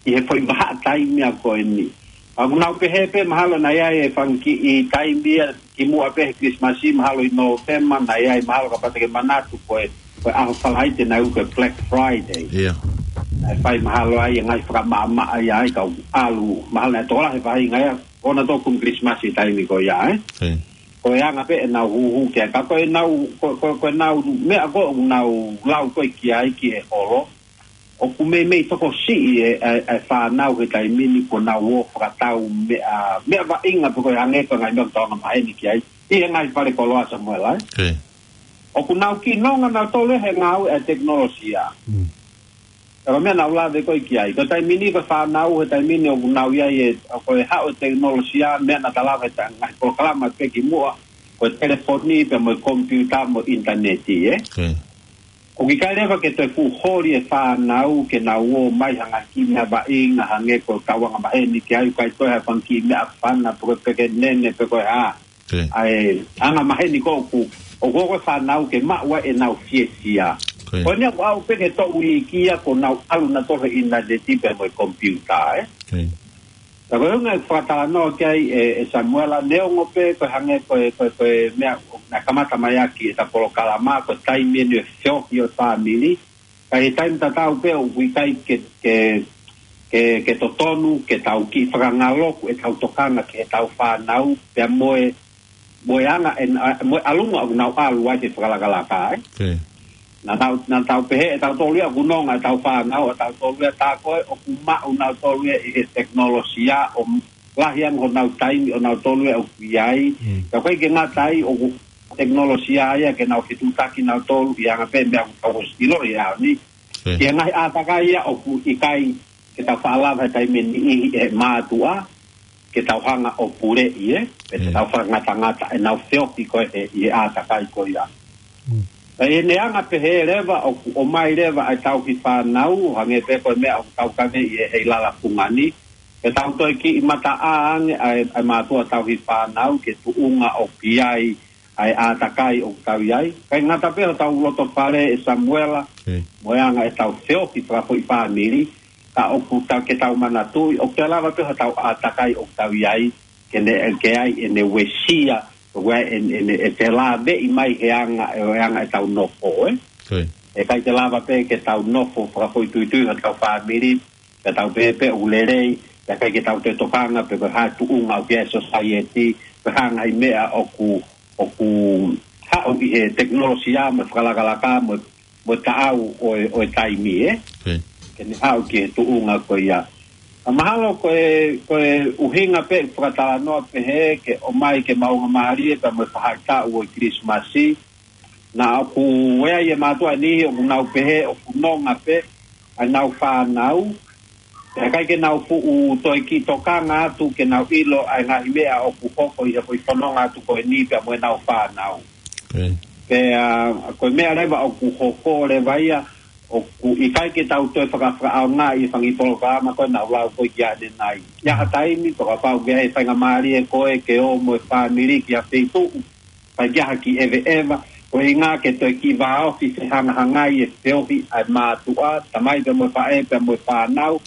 ʻI he foʻi vahaʻa taimi ko eni. ʻOku nau pehē pē mahalo naʻe ʻi ai e fanga kiʻi taimi ia kimuʻa pē he Kilisimasi, mahalo ʻi Nōvema, naʻe ʻi ai mahalo kapau te ke manatu ko e, ko e ʻaho Falaite naʻe ui ko e Black Friday. Naʻe fai mahalo ai e ngaahi fakamaʻamaʻa ia ai ka ʻoku ʻalu, mahalo naʻe tokolahi e faʻahinga ia, ʻo na tokun Kilisimasi taimi ko ia, ē? Ko e anga pē ʻenau huhu ki ai, ka ko ʻenau, ko, ko, ko ʻenau meʻa ko ē ʻoku nau lau ko ē ki ai ki he holo, ʻoku meimei tokosiʻi e, e, e fānau he taimi ni kuo nau ō fakatau meʻa, meʻa vaʻinga pe ko e hangē ko e ngaahi meʻa ʻoku tau angamaheni ki ai ʻi he ngaahi fale koloa Samuela, ē? ʻOku nau kiʻi nonga nautolu he ngāue ʻa e tekinolosia. Ka ko e meʻa naʻa ku lave ko ē ki ai. Ko e taimi ni ko e fānau he taimi ni ʻoku nau ʻi ai e, ko e haʻu e tekinolosia, meʻa naʻa ta lave he ngaahi polokalama pē kimuʻa, ko e telefoni pea mo e komipiuta mo e ʻinitaneti, ē? ʻOku ʻikai leva ke toe fuʻu holi e fānau ke nau ō mai ha ngaahi kiʻi meʻa vaʻinga hangē ko ʻetau angamaheni ki ai, ʻikai toe ha fanga kiʻi meʻafana pe ko e pekenene pe ko e hā. ʻA e angamaheni ko ē ʻoku, ʻoku ō ko ē fānau ke maʻu ai ʻenau fiefia. Ko eni ʻoku ʻalu pē ke toʻu iiki ia kuo nau ʻalu nautolu he ʻinitaneti pea mo e komipiuta, ē? Ka ko e ʻuhinga e fakatalanoa ki ai ʻe, ʻe Samuela, neongo pē ko e hangē ko e, ko e, ko e meʻa naʻe kamata mai ʻaki ʻeta polokalama, ko e taimi eni e feohi ʻo e fāmili. Ka ʻi he taimi tatau pē ʻoku ʻikai ke, ke, ke, ke totonu ke tau kiʻi fakangaloku ʻetau tokanga ki heʻetau fānau, pea mo e, mo e anga e, mo e ʻalunga ʻoku nau ʻalu ai he fakalakalaka, ē? Naʻa tau, naʻa tau pehē ʻe tautolu ia ʻoku nonga ʻetau fānau, ʻa tautolu ia tā ko ē ʻoku maʻu nautolu ia ʻi he tekinolosia ʻo lahi ange honau taimi ʻo nautolu ia ʻoku ʻi ai. Ka ʻoku ʻikai ke ngata ai, ʻoku tekinolosia ia ke nau fetuʻutaki nautolu ʻi he anga pē meʻa ʻoku tau ʻosi ʻiloʻi he ʻaho ni. Ki he ngaahi ʻātakai ia ʻoku ʻikai ke tau faʻa lava he taimi ʻe niʻihi ʻe he mātuʻa ke tau hanga ʻo puleʻi, ē, pe te tau fakangatangata ʻenau feohi ko ē ʻi he ʻātakai ko ia. Ka ʻi heʻene anga pehē leva ʻoku ʻomai leva ʻa e tauhi fānau, hangē pē ko e meʻa ʻoku tau kave ʻi he, he ʻi lala fungani. Ke tau toe kiʻi mataʻā ange ʻa e, ʻa e mātuʻa tauhi fānau, ke tuʻunga ʻoku ʻi ai ʻa e ʻātakai ʻoku tau ʻi ai. Kae ngata pē hotau loto fale ʻe Samuela, mo e anga ʻetau feohi fakafoʻi fāmili, ka ʻoku tau ke tau manatuʻi, ʻoku te lava pē hotau ʻātakai ʻoku tau ʻi ai, ke ne, ke ai ʻene uesia, ko e ʻene, ʻene, ʻe te lāveʻi mai he anga, he anga ʻetau nofo, ē? ʻE ʻikai te lava pē ke tau nofo fakafoʻituitui hotau fāmili, ke tau pē pē ʻoku lelei, ʻe ʻikai ke tau te tokanga pē ko e hā e tuʻunga ʻoku ʻi ai e society, ko e hā e ngaahi meʻa ʻoku, ʻoku haʻu ʻi he tekinolosia mo e fakalakalaka mo, mo e taʻau ʻo e, ʻo e taimi, ē? Ke ne haʻu ki he tuʻunga ko ia. Ka mahalo ko e, ko e ʻuhinga pē fakatalanoa pehē ke ʻomai ke maʻunga mālie pea mo e faʻahitaʻu ʻo e Kilisimasi, naʻa ʻoku ʻi ai e mātuʻa ʻe niʻihi ʻoku nau pehē ʻoku nonga pē ʻa ʻenau fānau, ʻe ʻikai ke nau fuʻu toe kiʻi tokanga atu ke nau ʻilo ʻa e ngaahi meʻa ʻoku hoko ʻi he foʻi fononga atu ko eni pea mo ʻenau fānau. Pea, ko e meʻa leva ʻoku hoko leva ia, ʻoku ʻikai ke tau toe fakafakaʻaongaʻi e fanga polokalama ko ē naʻa ku lau ko ē ki ai ʻanenai. ʻI ha taimi, ʻo kapau ʻoku ʻi ai e faingamālie ko ē ke ō mo e fāmili ki ha feituʻu, ʻikai ke ʻi ai ha kiʻi ʻeveʻeva, ko e ʻuhinga ke toe kiʻi vāofi fehangahangai e feohi ʻa e mātuʻa, tamai pea mo e faʻē pea mo e fānau,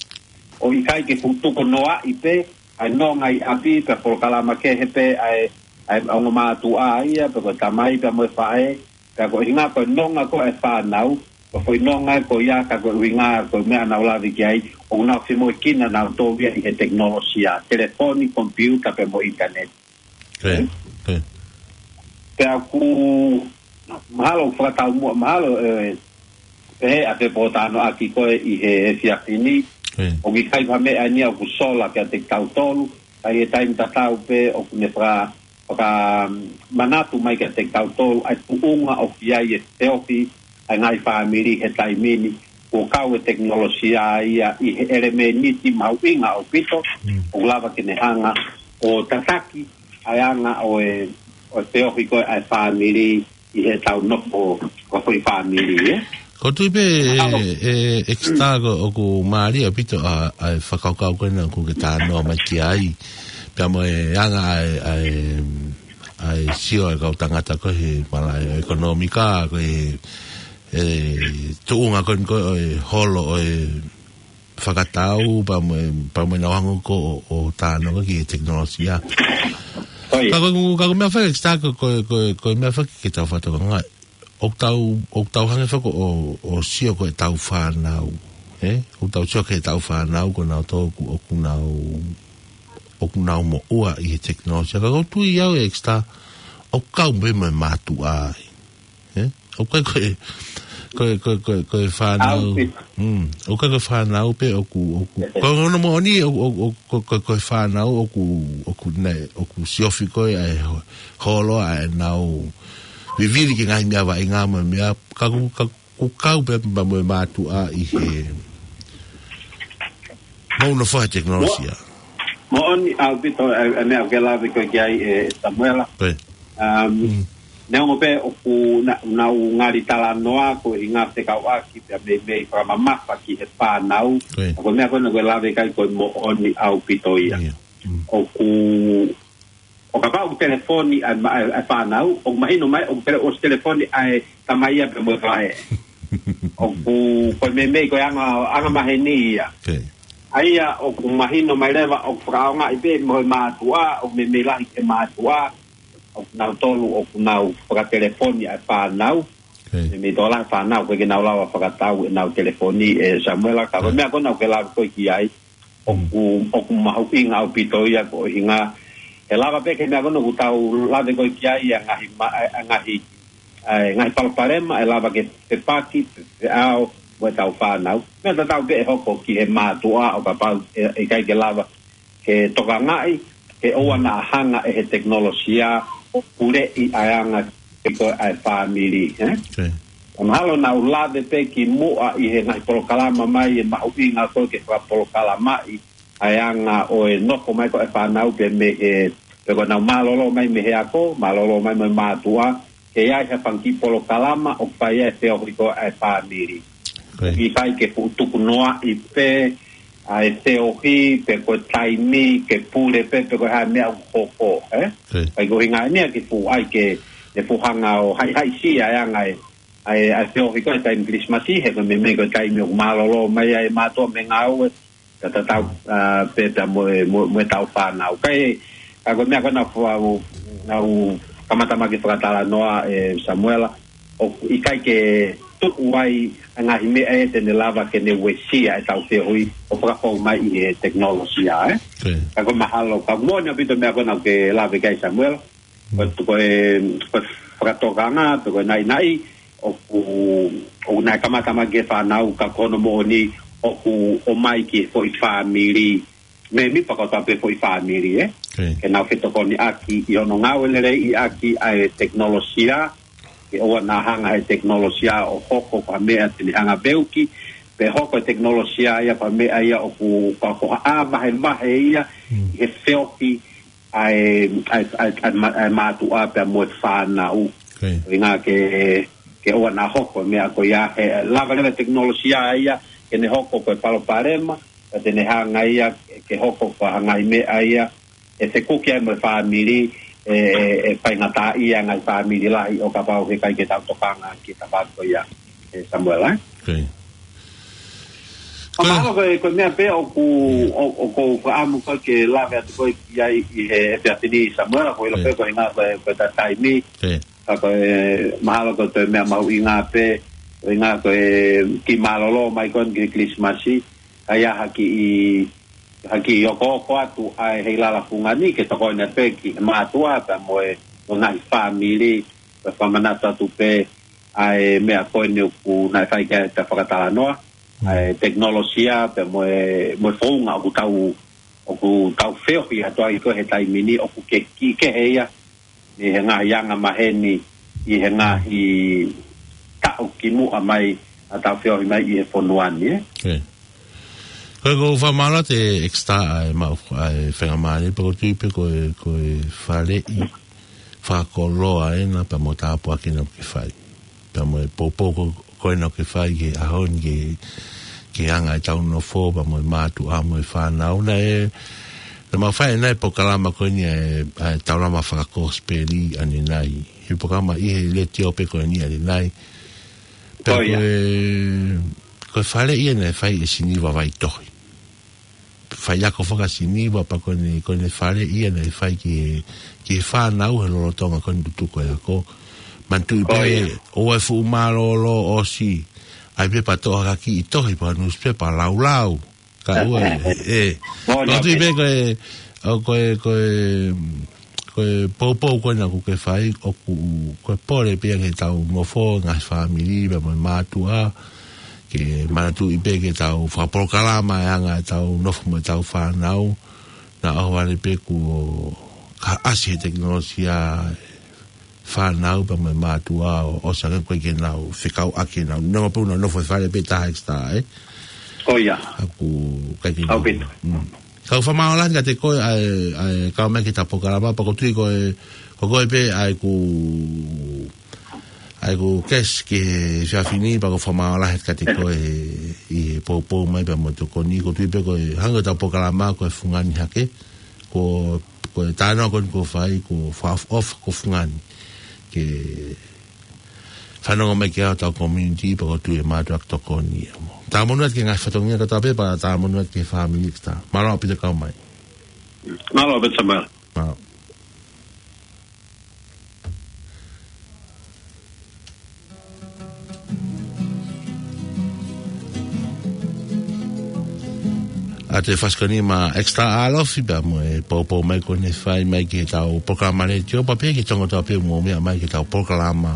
ʻo ʻikai ke fuʻu tuku noaʻi pē ʻa e nonga ʻi ʻapi pea polokalama kehe pē ʻa e, ʻa e ongo mātuʻa ia, pe ko e tamai pea mo e faʻē, pea ko e ʻuhinga ko e nonga ko ē ʻa e fānau, ko e foʻi nonga ko ia ka ko e ʻuhinga ko e meʻa naʻa ku lave ki ai, ʻoku nau femoʻuekina nautolu ia ʻi he tekinolosia, telefoni, komipiuta pea mo e ʻinitaneti. Pea ʻoku mahalo ʻoku fakataumuʻa, mahalo, ē, pehē ʻa e pōtalanoaʻaki ko ē ʻi he efiafi ni, ʻoku ʻikai ha meʻa ʻeni ʻoku sola kiate kitautolu, ka ʻi he taimi tatau pē ʻoku ne faka-, fakamanatu mai kiate kitautolu ʻa e tuʻunga ʻoku ʻi ai e feohi ʻa e ngaahi fāmili he taimi ni, kuo kau e tekinolosia ia ʻi he ʻelemēniti mahuʻinga ʻaupito, ʻoku lava ke ne hanga ʻo tataki ʻa e anga ʻo e, ʻo e feohi ko ē ʻa e fāmili ʻi heʻetau nofo ko e foʻi fāmili, ē? Ko u tui pē, ʻe, ʻe, ʻEkisitā, ko ʻoku mālie ʻaupito ʻa, ʻa e fakakaukau ko ena ʻoku ke talanoa mai ki ai. Pea mo e anga ʻa e, ʻa e, ʻa e sio ʻa e kau tangata ko ē he malaʻe ʻekonōmika, ko e, ʻe, tuʻunga ko eni ko ē ʻo e holo ʻo e fakatau, pea mo e, pea mo e nau hanga ko ē ʻo, ʻo talanoa ki he tekinolosia. Ka ko, ka ko e meʻa faka-, ʻEkisitā, ko, ko, ko, ko e meʻa faka-, ke tau fakatokangaʻi. ʻOku tau, ʻoku tau hanga faka-, ʻo, ʻo sio ko ē ʻetau fānau, ē? ʻOku tau sio ko ē ʻetau fānau ko ē nautolu ʻoku, ʻoku nau, ʻoku nau moʻua ʻi he tekinolosia. Ka ko u tui au, ʻEkisitā, ʻoku kau pē mo e mātuʻa ai. Ē? ʻOku ʻikai ko e, ko e, ko e, ko e, ko e fānau. ʻOku ʻikai ko e fānau pē ʻoku, ʻoku. Ko hono moʻoni, ʻo, ʻo, ʻo, ko, ko, ko e fānau ʻoku, ʻoku ne, ʻoku siofi ko ē ʻa e ho-, holo ʻa ʻenau vivili ki he ngaahi meʻa vaʻinga mo e meʻa, ka ʻoku, ka ʻoku kau pē mo e mātuʻa ʻi he, mo hono fai tekinolosia. Moʻoni ʻaupito ʻa e, ʻa e meʻa ʻoku ke lave ko ē ki ai, ʻe Samuela. Neongo pē ʻoku na-, nau ngali talanoa ko e ʻuhinga fekauʻaki pea meimei fakamamafa ki he fānau. Ko e meʻa ko ena ʻoku ke lave ki ai ko e moʻoni ʻaupito ia. ʻOku, ʻo kapau ʻoku telefoni ʻa e ma-, ʻa e, ʻa e fānau, ʻoku mahino mai ʻoku tele-, ʻosi telefoni ʻa e tamai ia pea mo e faʻē. ʻOku, ko e meimei ko e anga, anga maheni ia. ʻA ia ʻoku mahino mai leva ʻoku fakaʻaongaʻi pē mo e mātuʻa, ʻoku meimei lahi ki he mātuʻa, ʻoku nau tolu, ʻoku nau fakatelefoni ʻa e fānau. Meimei tokolahi e fānau, ʻoku ʻikai ke nau lava fakatau ʻenau telefoni, ʻe Samuela, ka ko e meʻa ko ena ʻoku ke lave ko ē ki ai, ʻoku, ʻoku mahuʻinga ʻaupito ia ko e ʻuhinga. ʻE lava pē ke meʻa ko ena ʻoku tau lave ko ē ki ai ʻa e ngaahi ma-, ʻa e ngaahi, ʻa e ngaahi palopalema, ʻe lava ke fepaki, fe-, feʻao, mo ʻetau fānau. Meʻa tatau pē ʻe hoko ki he mātuʻa ʻo kapau ʻe, ʻe ʻikai ke lava ke tokangaʻi, ke ʻoua naʻa hanga ʻe he tekinolosia ʻo puleʻi ʻa e anga ko ē ʻa e fāmili, ē? Mahalo naʻa ku lave pē kimuʻa ʻi he ngaahi polokalama mai ʻe mahuʻinga ko ē ke fakapolokalamaʻi ʻa e anga ʻo e nofo mai ko ē ʻa e fānau pē mei he, pe ko ʻenau mālōlō mai mei he ako, mālōlō mai mei he mātuʻa, ʻe ʻi ai ha fanga kiʻi polokalama ʻoku fai ai e feohi ko ē ʻa e fāmili. Ko ia. ʻIkai ke fuʻu tukunoaʻi pē ʻa e feohi pe ko e taimi ke pule pē pe ko e hā e meʻa ʻoku hoko, ē? Ko ia. ʻIkai ko e ʻuhinga ia ke fuʻu ʻai ke, ke fuʻu hanga ʻo haʻihaʻisia e anga e, ʻa e, ʻa e feohi ko ē he taimi Kilisimasi, he ko e meimei ko e taimi ʻoku mālōlō mai ai e mātuʻa mei he ngāue, ka tatau, ʻa, pē pea mo e, mo, mo e tau fānau. Ka ʻi, ka ko e meʻa ko ē naʻa ku, naʻa ku kamata mai ke fakatalanoa, ʻe Samuela, ʻoku ʻikai ke tuʻu ai ʻa e ngaahi meʻa ʻe te ne lava ke ne uesia e tau feohi ʻo fakafou mai ʻi he tekinolosia, ē? Ko ia. Ka ko e mahalo, ka moʻoni ʻaupito e meʻa ko ē naʻa ke lave ki ai Samuela, ko, ko e, ko e fakatokanga, pe ko e naʻinaʻi, ʻoku, ʻoku nau kamata mai ki he fānau ka ko hono moʻoni ʻoku ʻomai ki he foʻi fāmili, meimei pea ko e tau pē foʻi fāmili, ē? Ko ia. Ke nau fetokoniʻaki ʻi hono ngāue lelei ʻaki ʻa e tekinolosia, ke ʻoua naʻa hanga he tekinolosia ʻo hoko ko ha meʻa te ne hanga veuki, pe hoko e tekinolosia ia ko ha meʻa ia ʻoku, ko, ko ha ʻā vahevahe ia, Mm. he feohi, ʻa e, ʻa e, ʻa e, ʻa e ma-, ʻa e mātuʻa pea mo e fānau. Ko ia. ʻUhinga ke, ke ʻoua naʻa hoko e meʻa ko ia he lava leva e tekinolosia ia, ke ne hoko ko e palopalema, ka te ne hanga ia, ke hoko ko ha ngaahi meʻa ia, ʻe fekuki ai mo e fāmili, ʻe, ʻe, ʻe faingataʻaʻia e ngaahi fāmili lahi ʻo kapau heʻikai ke tau tokanga ki he tapa ko ia, ʻe Samuela, ē? Ko ia. Ka mahalo ko e, ko e meʻa pē ʻoku, ʻo, ʻoku ou fakaʻamu ko ē ke lave atu ko ē ki ai ʻi he efiafi ni Samuela, ko e ʻilo pē ko e ʻuhinga ko e, ko e ta taimi. Ko ia. Ka ko e mahalo ko e toe meʻa mahuʻinga pē, ko e ʻuhinga ko e kiʻi mālōlō mai ko eni ki he Kilisimasi, ʻa ia ha kiʻi, ha kiʻi okooko atu ʻa e heilala fungani ke tokoni pē ki he mātuʻa pea mo e, mo e ngaahi fāmili, pea fakamanatu atu pē, ʻa e meʻa ko eni ʻoku nau fai ki ai e ta fakatalanoa, Mm. ʻa e tekinolosia, pea mo e, mo e founga ʻoku tau, ʻoku tau feohi atu ai ko ē he taimi ni ʻoku ke, kiʻi kehe ia, ʻi he ngaahi anga maheni, ʻi he ngaahi taʻu kimuʻa mai, ʻa e tau feohi mai ʻi he fonua ni, ē? Ko ia. Ko e ʻoku ou fakamālō atu ʻEkisitā ʻa e maʻu, ʻa e faingamālie, pea ʻoku ou tui pē ko e, ko e faleʻi fakakoloa ena pea mo e tāpuaki naʻa ke fai. Pea mo e poupou ko, ko ena ʻoku ke fai ki he ʻaho ni ki he, ki he anga e tau nofo, pea mo e mātuʻa mo e fānau naʻe, naʻe mau fai ʻanenai e polokalama ko eni ʻa e, ʻa e Taulama Fakakosipeli ʻanenai. He polokalama ʻi he letiō pē ko eni ʻanenai. Pea Ko ia. ko e, ko e faleʻi ia naʻe fai ʻe Siniva Vaitohi. Faiako fakasiniva pea ko eni, ko eni faleʻi ia naʻe fai ki he, ki he fānau he lolotonga ko eni tutuku e ako. Manatuʻi Ko pē, ia. ʻoua ʻe fuʻu mālōlō ʻosi. ʻAi pē pea toʻo ha kiʻi tohi pe newspaper laulau. Ka ʻoua ʻe, ʻe. Moʻoni ʻOku ou tui ʻaupito. pē ko e, ʻo ko e, ko e, ko e poupou ko ena ʻoku ke fai, ʻoku, ko e pole pē ia ke tau nofo, ngaahi fāmili, pea mo e mātuʻa, ke manatuʻi pē ke tau fakapolokalama e anga e tau nofo mo e tau fānau, naʻa ʻohovale pē kuo ka ʻasi he tekinolosia e fānau pea mo e mātuʻa ʻo, ʻosi ange ko ē ke nau fekauʻaki ʻenau, neongo pē ʻenau nofo he fale pē taha ʻEkisitā, ē? Ko ia. ʻOku ʻikai ke ʻAupito. Mm. Kau fakamālō lahi kiate koe ʻa e, ʻa e kau mai ki he ta polokalama, pea ʻoku ou tui ko e, ko koe pē ʻa ʻeku, ʻa ʻeku guest ki he efiafi ni, pea ʻoku ou fakamālō lahi kiate koe ʻi he poupou mai pea mo e tokoni, ʻoku ou tui pē ko e hangē ko e ta polokalama ko e fungani hake, ko, ko e talanoa ko eni ʻoku fai, ko e fakaʻofoʻofa ko e fungani. Ke fanongo mai ki ai hotau community, pea ʻoku ou tui ʻe mātuʻaki tokoni ia mo. Talamonū atu ki he ngaahi fatongia kotoa pē, pea talamonū atu ki he fāmili ʻEkisitā. Mālō ʻaupito kau mai. Mālō ʻaupito Samuela. Mālō. ʻA e fasi ko eni maʻa ʻEkisitā ʻAlofi pea mo e poupou mai ko eni ʻe fai mai ki he tau polokalama letiō, pea pehē ki he toenga kotoa pē ʻoku mou meʻa mai ki he tau polokalama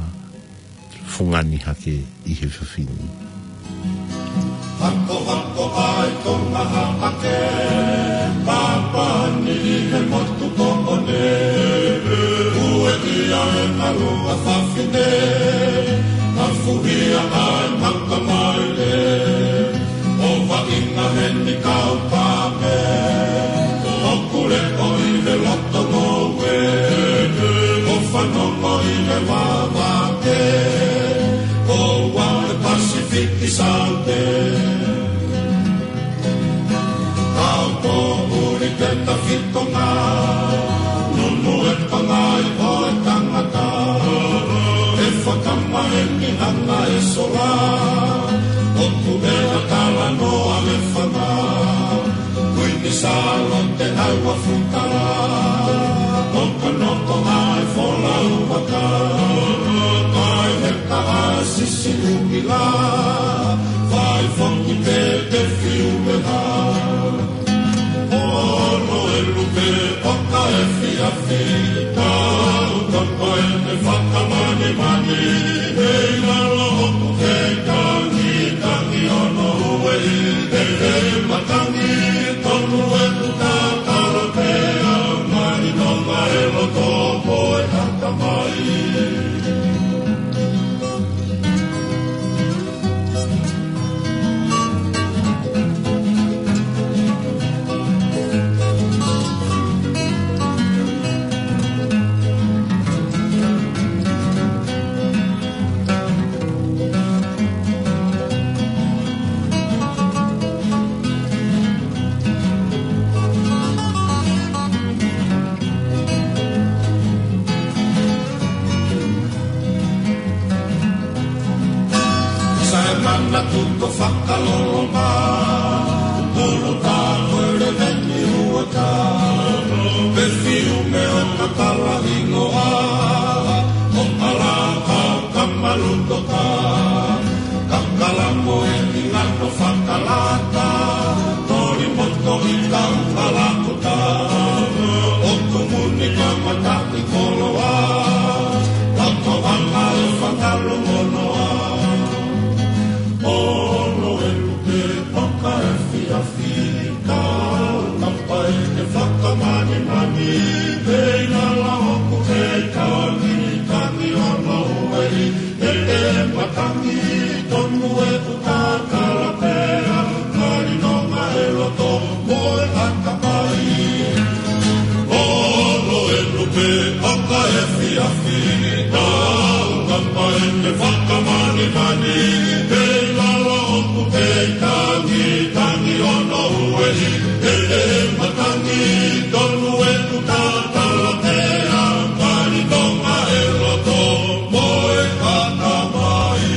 fungani hake ʻi he efiafi ni. Hako, hako, ʻai ko maha ake, papa ni he motu ko ʻone, ue ʻia e malu ʻa fafine, mafuhi ʻa e maka maile, ʻo vaʻinga heni kau pame, ʻo kule ʻo ʻi he loto ngoue, ʻo fanongo ʻi he vava. Tonga, nunu e pangai ʻo e tangata, ʻe fakamaheni ʻa e sola, ʻoku ʻi ai e talanoa ʻa e fanga, Kuini Sālote ʻa e Uafutala, ʻoku nofo ʻa e folau aka, kae he kaha sisi ʻumila, fai foki pē te fiu me ha. Olo e lupe ʻoka efiafi, tau kapa ʻene fakamanimani, ʻi lalo ʻoku kei tangi, tangi hono ueʻi, ʻe he matangi, tonu e kuta kala pea, mani nonga e loto mo e haka mai. Sai manatu ko fakaloloma, pulu tā ko e leleni uata, pefiume ʻo kakala hingoa, ʻo palaka kamalutoka, kakala mo e ʻi lalo fakalata, toli moto i kau palakota, ʻoku muni kamata i koloa, tau kau anga e fakalu monoa. Olo e lupe ʻoka efiafi, tau kapa ʻene fakamanimani, ʻi lalo ʻoku kei tangi, tangi hono ueʻi, ʻe he matangi, tonu e kuta kala pea, mani nonga e loto mo e haka mai. Olo e lupe ʻoka efiafi, tau kapa ʻene fakamanimani, ʻi lalo ʻoku kei tangi, tangi hono ueʻi, ʻe he matangi, tonu e kuta kala pea, mani nonga e loto mo e haka mai.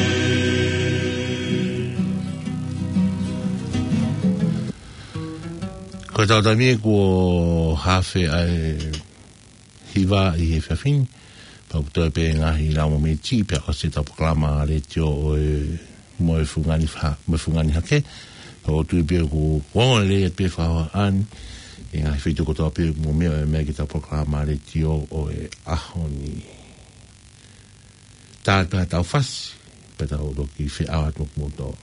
Ko e tau taimi kuo hafe ʻa e hiva ʻi he efiafi ni, pea ʻoku toe pē ngaahi lau mo miti, pea ʻosi ʻetau polokalama letiō ʻo e mo e fungani fa-, mo e fungani hake, pea ʻoku ou tui pē ʻoku ongo lelei atu pē fakahoa ʻani, ʻi he ngaahi feituʻu kotoa pē ʻoku mou meʻa mai ki heʻetau polokalama letiō ʻo e ʻaho ni. Tau pē tau fasi, pea tau toki feʻao atu mo kimoutolu.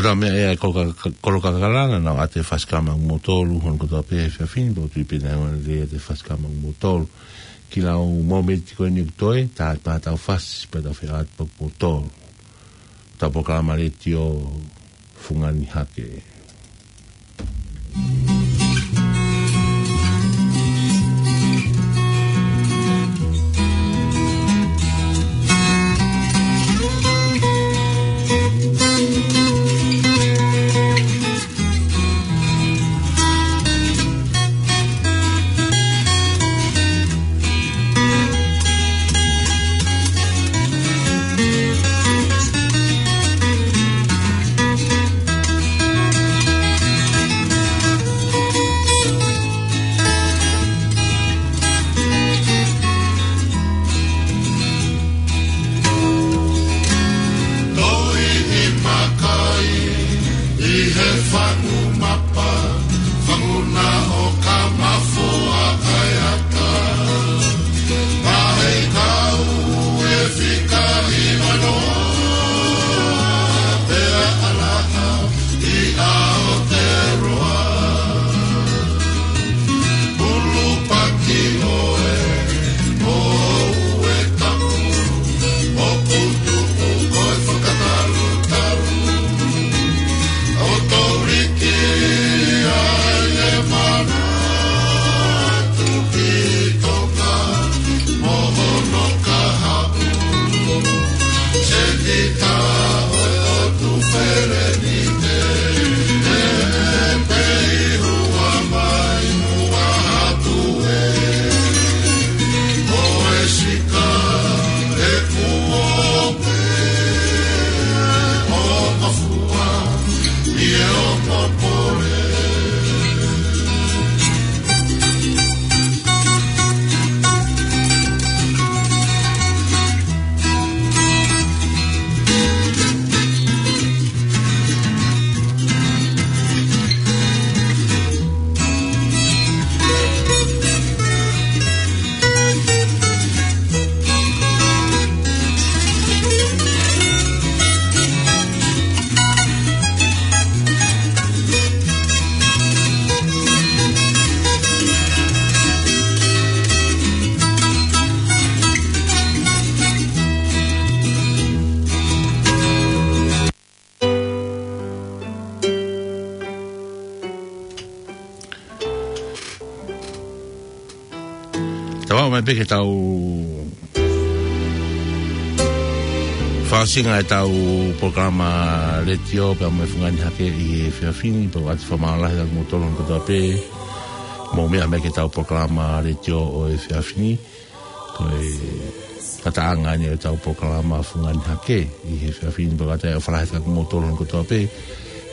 Ka meʻa ʻa e kolo ka-, kolo kakalana, naʻa ʻoatu e fasi kāmata ʻa kimoutolu, hono kotoa pē he efiafi ni, pea ʻoku ou tui pē naʻe ʻoatu ʻa e fasi kāmata ʻa kimoutolu. Ki he lau mōmeniti ko eni ʻoku toe, tā pā tau fasi, pea tau fie ʻoatu pē ʻa kimoutolu. Tau polokalama letiō, Fungani Hake. Toi ni makai, ʻi he fangu mapa, fangu na ʻo ka mafua kai ata. Mahe kau e fika i manoa, pea ʻalaha i Aotearoa. Pulu paki ʻoe, ʻo ue tapu, ʻo putu ʻo koe fakatalutalu. ʻO toliki ai e manatu ki Tonga, mo hono kahaʻu. Sēniti ʻo e ʻOtu Felenite, ʻe pehē ua mai ua atu ē. Ko e sika ʻe kuo pē ʻo mafua, ʻi he ʻoku pole. Tau aʻu mai pē ki heʻetau fakaʻosinga ʻetau polokalama letiō pea mo e Fungani Hake ʻi he efiafi ni, pea ʻoatu e fakamālō lahi kiate kimoutolu hono kotoa pē mou meʻa mai ki heʻetau polokalama letiō ʻo e efiafi ni. Ko e ngataʻanga eni ʻetau polokalama Fungani Hake ʻi he efiafi ni, pea ʻoatu e ʻofa lahi kiate kimoutolu hono kotoa pē,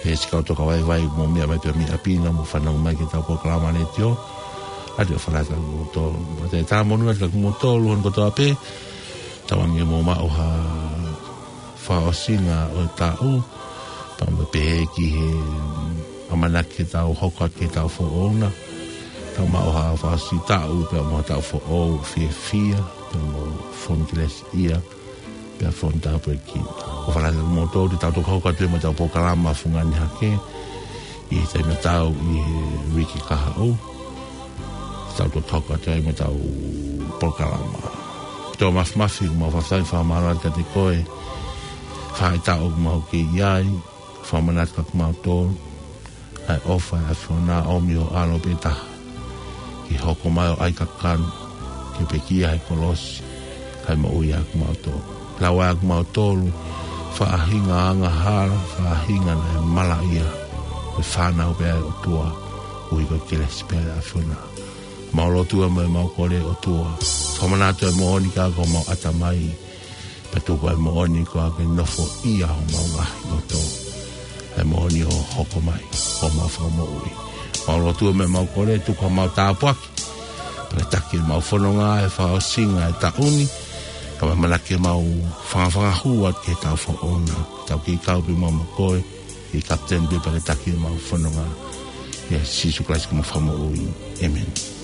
he siʻi kau tokavaivai mou meʻa mai pē mei ʻapi na mou fanongo mai ki heʻetau polokalama letiō. ʻOatu e ʻofa lahi kiate kimoutolu. Pea ʻoatu e talamonū kiate kimoutolu hono kotoa pē, tauange mou maʻu ha fakaʻosinga ʻo e taʻu, pea mo e pehē ki he ʻamanaki ke tau hoko atu ki he taʻu foʻou na. Tau maʻu ha fakaʻosi taʻu, pea mo ha taʻu foʻou fiefia, pea mo e fonu kelesiʻia, pea fonu tāpuekina. ʻOfa lahi kiate kimoutolu, te tau toki hoko atu mo ʻetau polokalama Fungani Hake ʻi he taimi tatau ʻi he uike kahaʻu. Tau toki hoko atu ai mo ʻetau polokalama. Tō Mafimafi, ʻoku mau fakafetaʻi, fakamālō atu kiate koe, faʻahitaʻu ʻoku mau kei ʻi ai, fakamanatu kiate kimautolu ʻa e ʻofa ʻa e ʻAfiona, ʻomi ho ʻAlo pē taha ke hoko mai ʻo ʻai kakano, ke pekia he kolosi, kae moʻui ʻa kimautolu. Lau ʻa kimautolu, faʻahinga angahala, faʻahinga naʻe malaʻia, ko e fānau pē ʻa e ʻOtua, ʻuhi ko e kelesi pē ʻa e ʻAfiona. Mau lotua mo mau kole ʻOtua, fakamanatu e moʻoni ki homau ʻatamai, pea tuku e moʻoni ko e ke nofoʻia homau ngaahi loto. E moʻoni ʻo hoko mai ko homau Fakamoʻui. Mau lotua mo mau kole, tuku homau tāpuaki, pea ke taki ʻemau fononga he fakaʻosinga e taʻu ni, kae ʻumaʻā ke mau fangafanga hua ki he taʻu foʻou na. Tau kei kau pē mo koe, ʻi he kapiteni pē pea ke taki ʻemau fononga. ʻIa Sīsū Kalaisi ko homau Fakamoʻui. ʻĒmeni.